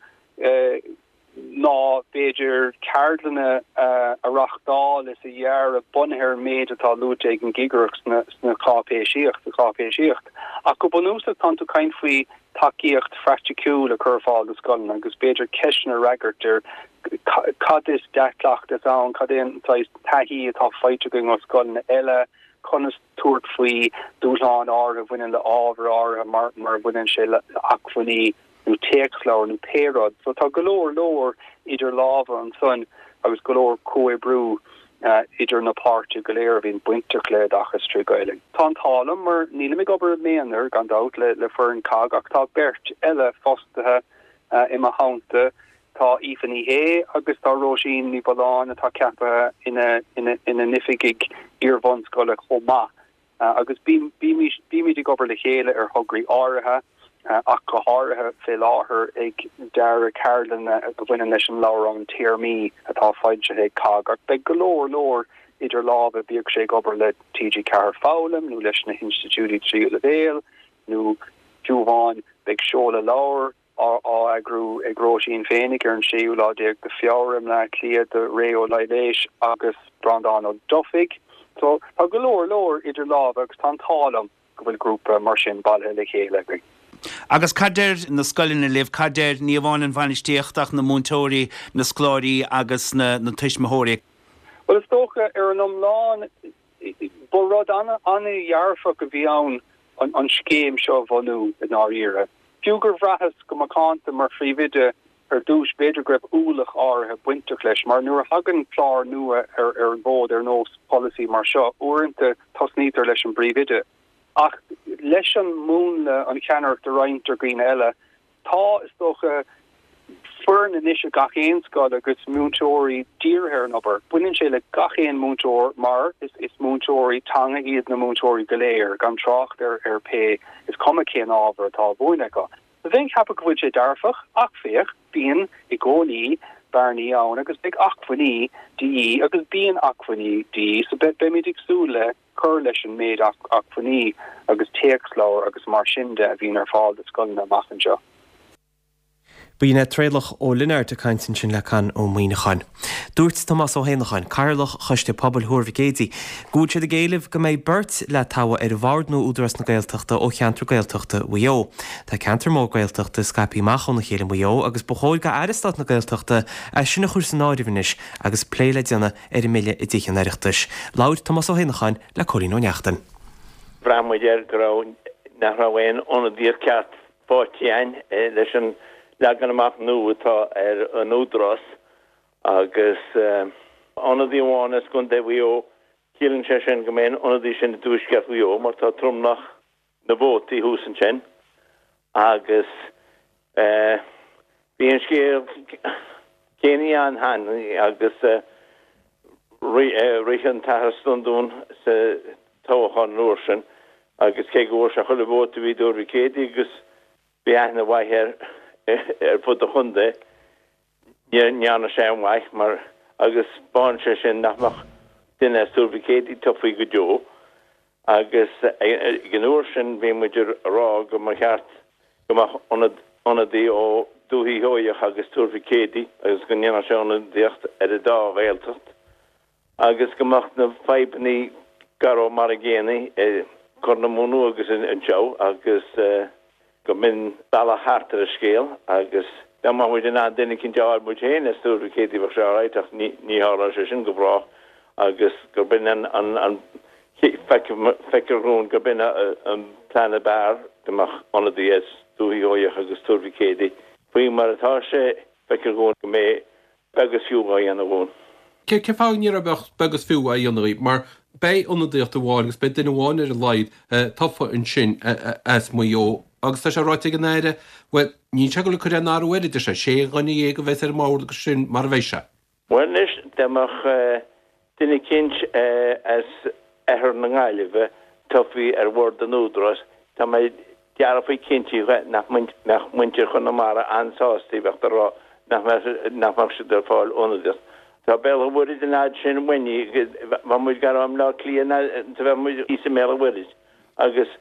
ná b'fhéidir ceardlanna a reachtáil is a dhearadh bunaithe ar an méid atá luaite ag an gCigireacht sna cháipéisíocht, sa cháipéisíocht. Ach go bunúsach tánn tú ag caint faoi tacaíocht phraiticiúil a chur ar fáil do scoileanna agus b'fhéidir ceisteanna a fhreagairt ar cad is dea-chleachtas ann, cad é an saghas taithí atá faighte againn ó scoileanna eile, conas tabhairt faoi dúshláin áirithe a bhaineann le ábhar áirithe mar mar a bhaineann sé le acmhainní nó téacsleabhair nó pé rud. So tá go leor leor idir lámha ansan agus go leor comhoibriú idir na páirtithe go léir a bhíonn bainteach le oideachas trí Ghaelainn. Tá an t-ádh liom mar nílim ag obair i m'aonar gan dabht le le foireann cogg ach tá beirt eile fostaithe i mo theannta, tá Aoife Ní Shé agus tá Róisín Ní Mhulláin atá ceaptha ina ina ina n-oifigigh iarbhunscoile chomh maith. Agus bímid ag obair le chéile ar thograí áirithe, ach go háirithe fé láthair ag dearadh ceardlanna a bhaineann leis an leabhrán téarmaí atá foilsithe ag cogg. Ach beidh go leor leor idir lámha, bíodh sé ag obair le TG4 Foghlaim nó leis na hinstitiúidí tríú leibhéal nó fiú amháin beidh seoladh leabhair á eagrú ag Róisín féinig ar an séú lá déag de Feabhra i mBleá Cliath do Ré Ó Laighléis agus Breandán Ó Dufaigh. So, tá go leor leor idir lámha agus tá an t-ádh liom go bhfuil grúpa mar sin bailithe le chéile againn. Agus cad deir na scoileanna libh, cad deir ní amháin an bhainistíocht ach na múinteoirí, na scoláirí agus na tuismitheoirí? Bhuel, is dócha, ar an iomlán, ba rud an-dhearfach a bhí ann an scéim seo a bhunú i ndáiríre. Fiú gur bhraitheas go macánta mar phríomhoide ar dtús, b'fhéidir go raibh ualach áirithe bainteach leis, mar nuair a thagann clár nua ar an bhfód ar nós polasaí mar seo, uaireanta tosnaítear leis an bpríomhoide. Ach leis an múnla, an cheannaireacht a roinnt ar dhaoine eile, Tá, is dócha, foireann anois i gach aon scoil agus múinteoirí dírithe ar an obair. Baineann sé le gach aon múinteoir mar is múinteoirí teanga iad na múinteoirí go léir, gan trácht ar ar pé, is cuma cén ábhar atá á mhúineadh acu. Bheinn ag ceapadh go bhfuil sé dearfach ach féach, bíonn i gcónaí bearnaí ann agus beidh acmhainní de dhíth agus bíonn acmhainní de dhíth so beimid ag súil le cur leis an méid acmhainní agus téacsleabhar agus mar sin de a bhíonn ar fáil do scoileanna amach anseo. B'in é Traolach Ó Lionáird ag caint ansin le Con Ó Muíneacháin. Dúirt Tomás Ó hÉanacháin, Cathaoirleach Choiste Pobail Thuar Mhic Éadaigh, go bhfuil siad ag éileamh go mbeidh beirt le toghadh ar Bhord nua Údarás na Gaeltachta ó cheantar Gaeltachta Mhaigh Eo. Tá ceantar mór Gaeltachta scaipthe amach óna chéile i Maigh Eo agus ba chóir d'Aire Stáit na Gaeltachta é sin a chur san áireamh anois agus plé le déanamh ar an mbille i dTithe an Oireachtais. Labhair Tomás Ó hÉanacháin le Cóilín Ó Neachtain. Bhraith muid air go raibh, nach raibh aon ionadaíocht ceart faighte againn leis an leagan amach nua atá ar an Údarás agus ionadaí amháin as gContae Mhaigh Eo, ciallaíonn sé sin go mbeidh an ionadaí sin i dTuaisceart Mhaigh Eo mar tá tromlach na vótaí thuas ansin agus. Bhí an scéal céanna ann cheana agus rith an tAthair Standún sa toghchán an uair sin agus cé go bhfuair sé chuile vóta a bhí i dTuar Mhic Éadaigh agus bhí aithne mhaith air ar fud an chontae, ní dhearna sé aon mhaith mar agus 'spáin sé sin nach mbeadh duine as Tuar Mhic Éadaigh tofa go deo agus ag an uair sin bhí muid ag rá go mba cheart go mbeadh ionad ionadaí ó Dúiche Sheoigheach agus Tuar Mhic Éadaigh agus go ndéanfadh sé ionadaíocht ar an dá Ghaeltacht agus go mbeadh na fadhbanna go raibh mar an gcéanna i gCorr na Móna agus anseo agus go mb'in bealach thart ar an scéal agus dá mbeadh muid in ann duine eicínt a fháil muid féin as Tuar Mhic Éadaigh bheadh sé alright ach ní tharlóidh sé sin go brách agus gur b'in an an feictear dhúinn gur b'in an plean ab fhearr go mbeadh ionadaí as Dúiche Sheoigheach agus Tuar Mhic Éadaigh. Faoi mar atá sé feictear dhúinn go mbeidh beag is fiú á dhéanamh dhúinn. Cén fáth ní bheadh beag is fiú á dhéanamh dhaoibh? Mar beidh ionadaíocht amháin agus beidh duine amháin ar a laghad tofa ansin as Maigh Eo agus tá sé ráite ag an Aire, bhuel, níl sé ag dul ag cur aon athrú air, a deir sé, sé dhuine dhéag a bheas ar an mbord agus sin mar a bheidh sé. Bhuel anois, dá mbeadh duine eicínt as oirthear na Gaillimhe tofa ar bhord an Údaráis, tá mé dearfa cinnte nach mbeadh muintir Chonamara an-sásta, bheadh ag rá nach mbeadh siad ag fáil ionadaíocht. Tá Béal an Mhuirthead an fhad sin uainn, bheadh muid gar i mBleá Cliath ná bheadh muid thíos i mBéal an Mhuirthead agus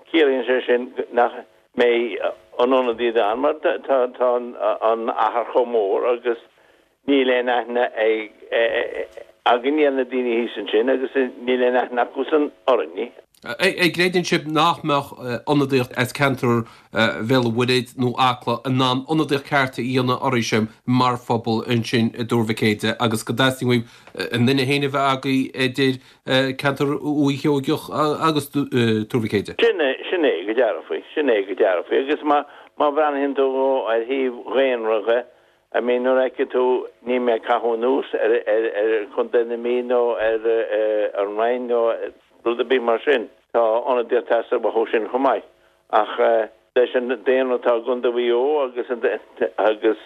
ciallaíonn sé sin nach mbeidh an ionadaíocht ann mar tá an achar chomh mór agus Níl aon aithne againne ar na daoine thíos ansin agus níl aon aithne acusan orainne. An gcreideann sibh nach mbeadh ionadaíocht as ceantar Bhéal an Mhuirthead nó Acla in ann ionadaíocht ceart a dhéanamh oraibhse mar phobal ansin i dTuar Mhic Éadaigh agus go dteastaíonn uaibh a nduine féin a bheith agaibh idir ceantar Dhúiche Sheoigeach agus Tuar Mhic Éadaigh? Sin é, sin é go dearfa, sin é go dearfa. Agus má bhreathnaíonn tú ar thaobh dhaonra dhe, I mean nuair a fheiceann tú, níl mé ag caitheamh anuas ar ar Chontae na Mí nó ar an Rinn nó rud ar bith mar sin. Tá ionadaíocht ag teastáil uathu sin chomh maith. Ach leis an daonra atá i gContae Mhaigh Eo agus agus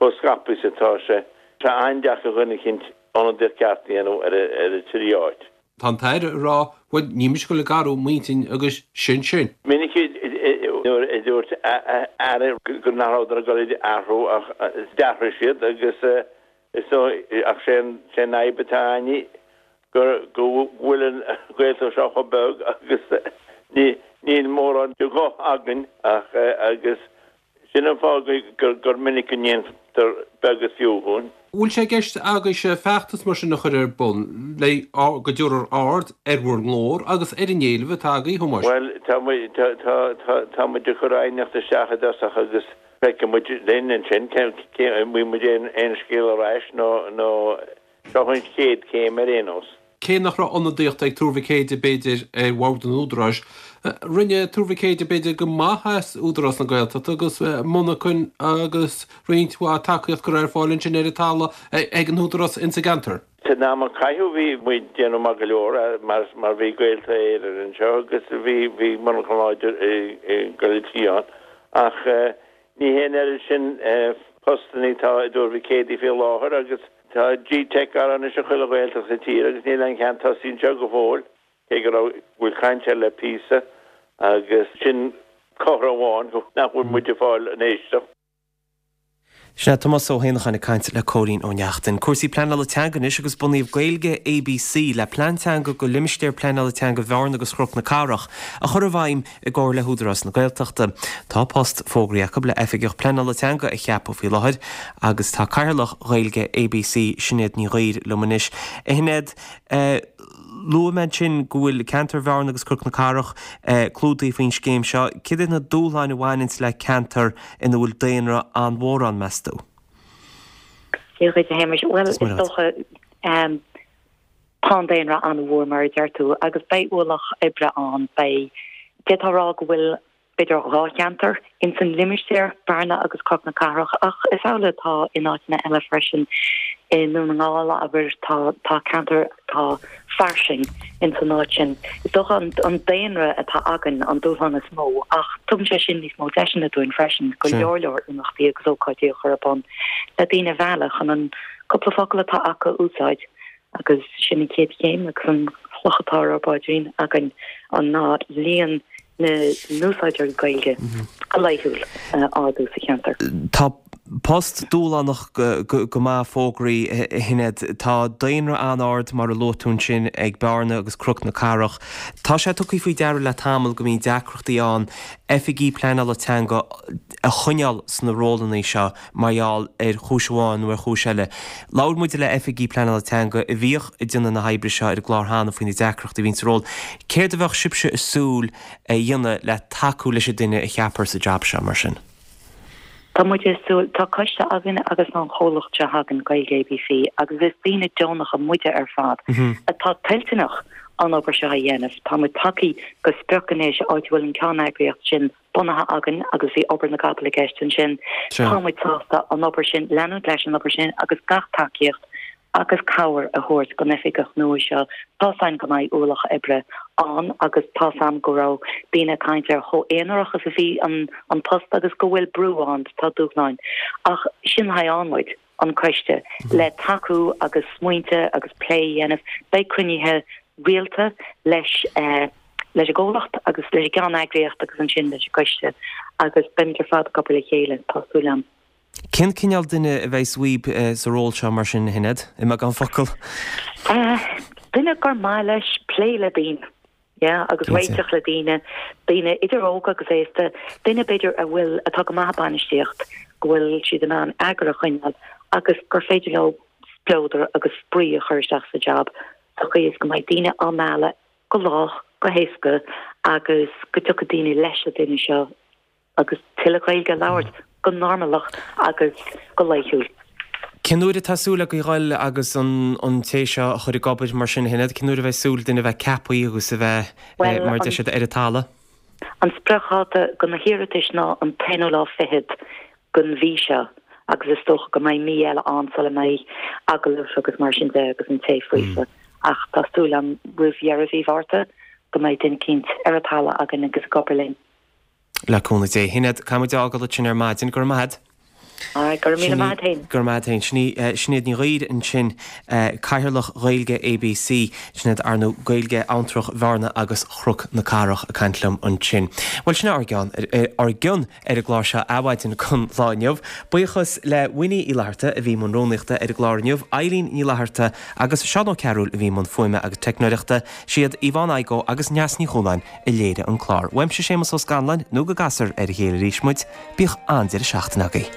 chomh scaipthe is atá sé, tá sé an-deacair dhuine eicínt ionadaíocht ceart a dhéanamh ar an trí áit. Tá an tAire ag rá, bhuel, níl mise ag dul ag athrú m'intinn agus sin sin. Minic nuair a dúirt Aire go nach rabhadar ag dul ag athrú ach d'athraigh siad agus is dóigh ach sé an fhadhb atá againne go bhfuil an Ghaeltacht seo chomh beag agus níl mórán de ghuth againn ach agus Sin an fáth gur minic go ndéantar beag is fiú dhúinn. Bhfuil sé i gceist agaibhse feachtas mar sin a chur ar bun le go dtabharfar aird ar bhur nglór agus ar an éileamh atá agaibh, a Thomáis? Bhuel, tá muid, tá muid ag cur aighneacht isteach i dtosach agus feicfidh muid linn ansin cé, an bhfaighidh muid aon scéal ar ais nó, nó seo an chéad chéim ar aon nós. Cé nach raibh ionadaíocht ag Tuar Mhic Éadaigh, b'fhéidir, ar bhord an Údaráis, rinne Tuar Mhic Éadaigh, b'fhéidir, go maith as Údarás na Gaeltachta agus monarchain agus roinnt mhaith tacaíocht curtha ar fáil ansin ar an talamh ag an Údarás insa gceantar. San am a caitheadh bhí muid ag déanamh maith go leor mar mar bhí Gaeltacht Éireann anseo agus bhí bhí monarchan láidir i gCoill an tSiáin ach Ní hé an oiread sin postanna atá i dTuar Mhic Éadaigh faoi láthair agus tá G-Teic anois i chuile Ghaeltacht sa tír agus níl aon cheann tosaithe anseo go fóill, cé go raibh, go bhfuil caint air le píosa agus sin comhartha amháin nach bhfuil muid ag fáil an éisteacht. Sin é Tomás Ó hÉanacháin ag caint le Cóilín Ó Neachtain. Cúrsaí pleanála teanga anois agus bunaíodh Gaeilge ABC le plean teanga do limistéar pleanála teanga Bhearna agus Chnoc na Cathrach a chur i bhfeidhm i gcomhar le hÚdarás na Gaeltachta. Tá post fógraithe acu le Oifigeach Pleanála Teanga a cheapadh faoi láthair agus tá Cathaoirleach Ghaeilge ABC, Sinéad Ní Ghuidhir, liom anois. A Shinéad, luaigh mé ansin go bhfuil ceantar Bhearna agus Cnoc na Cathrach clúdaithe faoin scéim seo. Céard iad na dúshláin a bhaineanns le ceantar ina bhfuil daonra an-mhór ann, meas tú? Dia dhuit, a Shéamais. Bhuel, is dócha, Tá an daonra an-mhór, mar a deir tú, agus beidh ualach oibre ann. Beidh, d'fhéadfá a rá go bhfuil b'fhéidir 2 cheantar ins an limistéar, Bearna agus Cnoc na Cathrach, ach is amhlaidh atá in áiteanna eile freisin. I nDún na nGall, abair, tá tá ceantar atá fairsing ins an áit sin. Is dócha an an daonra atá againn an dúshlán is mó ach tugann sé sin níos mó deiseanna dúinn freisin go leor leor imeachtaí agus ócáidí a chur ar bun le daoine a mhealladh chun an cúpla focal atá acu a úsáid agus sin an chéad chéim agus an chloch atá ar ár bpaidrín againn an ná líon na n-úsáideoirí Gaeilge go laethúil a ardú sa cheantar. Tá post dúshlánach go maith fógraithe, a Shinéad. Tá daonra an-ard, mar a luaigh tú ansin, ag Bearna agus Cnoc na Cathrach. Tá sé tugtha faoi deara le tamall go mbíonn deacrachtaí ann oifigigh pleanála teanga a choinneáil sna rólanna seo mar gheall ar chúis amháin nó ar chúis eile. Labhair muid le oifigigh pleanála teanga a bhíodh ag déanamh na hoibre seo ar an gclár cheana faoi na deacrachtaí a bhíonn sa ról. Céard a bheadh sibhse ag súil a dhéanamh le tacú leis an duine a cheapfar sa jab seo, mar sin? Tá muid ag súil, tá coiste againn agus tá an chomhlacht seo againn, Gaeilge ABC, agus is daoine deonacha muide ar fad atá toilteanach an obair seo a dhéanamh. Tá muid tagtha go sprioc anois áit a bhfuil an ceanneagraíocht sin bunaithe againn agus bhí obair na gcapall i gceist ansin. Tá muid sásta an obair sin, leanúint leis an obair sin agus gach tacaíocht agus cabhair a thabhairt don oifigeach nua seo. Tá's a'inn go mbeidh ualach oibre ann agus tá's a'm go raibh daoine ag caint ar chomh aonarach is a bhí an an post agus go bhfuil brú ann, tá dúshláin. Ach sin le haghaidh ann muid, an coiste, le tacú agus smaointe agus plé a dhéanamh. Beidh cruinnithe rialta leis leis an gcomhlacht agus leis an gceanneagraíocht agus ansin leis an gcoiste agus beimid ar fad ag obair le chéile, tá súil a'm. Cén cineál duine a bheas uaibh sa ról seo mar sin, a Shinéad, i mbeagán focal? Duine gur maith leis plé le daoine, yeah, agus réiteach le daoine, daoine idir óg agus aosta, duine b'fhéidir a bhfuil, atá go maith ag bainistíocht, go bhfuil siad in ann eagar a choinneáil agus gur féidir leo spleodar agus spraoi a chur isteach sa jab sa chaoi is go mbeidh daoine á mealladh go lách, go héasca agus go dtiocfaidh daoine leis an duine seo. agus tuilleadh Gaeilge a labhairt go normalach agus go laethúil. Cén uair atá súil agaibh a dhul agus an té seo a chur ag obair mar sin, a Shinéad? Cén uair a bheidh súil duine a bheith ceaptha agus a bheith, mar a deir siad, ar an talamh? An spriocdháta do na hiarratais ná an t-aonú lá fichead den mhí seo agus is dócha go mbeidh mí eile ann sula mbeidh agallaimh agus mar sin de agus an té faofa. Ach tá súil agam roimh dheireadh mhí Mhárta go mbeidh duine eicínt ar an talamh againn agus ag obair linn. Le cúnamh Dé. Shinéad, caithfidh muid a fhágáil ansin ar maidin. Go raibh maith agat. Alright, go raibh míle maith agat féin. Go raibh maith agat féin. Sin í Sinéad Ní Ghaoir ansin, Cathaoirleach Ghaeilge ABC. Sinéad, ar ndóigh, Gaeilge Abhantrach Bhearna agus Chnoc na Cathrach ag caint liom ansin. Bhuel, sin é ár gceann, ár gcion ar an gclár seo Adhmhaidin don lá inniu. Buíochas le Winnie Uí Fhlatharta a bhí i mbun rúnaíochta ar an gclár inniu, Eileen Ní Fhlatharta agus Seán Ó Cearúil a bhí i mbun fuaime agus teicneoireachta. Siad Yvonne Igoe agus Neasa Ní Chualáin a léirigh an clár. Uaimse Séamus Ó Scanláin, nó go gcasfar ar a chéile arís muid, bíodh an-deireadh seachtaine agaibh.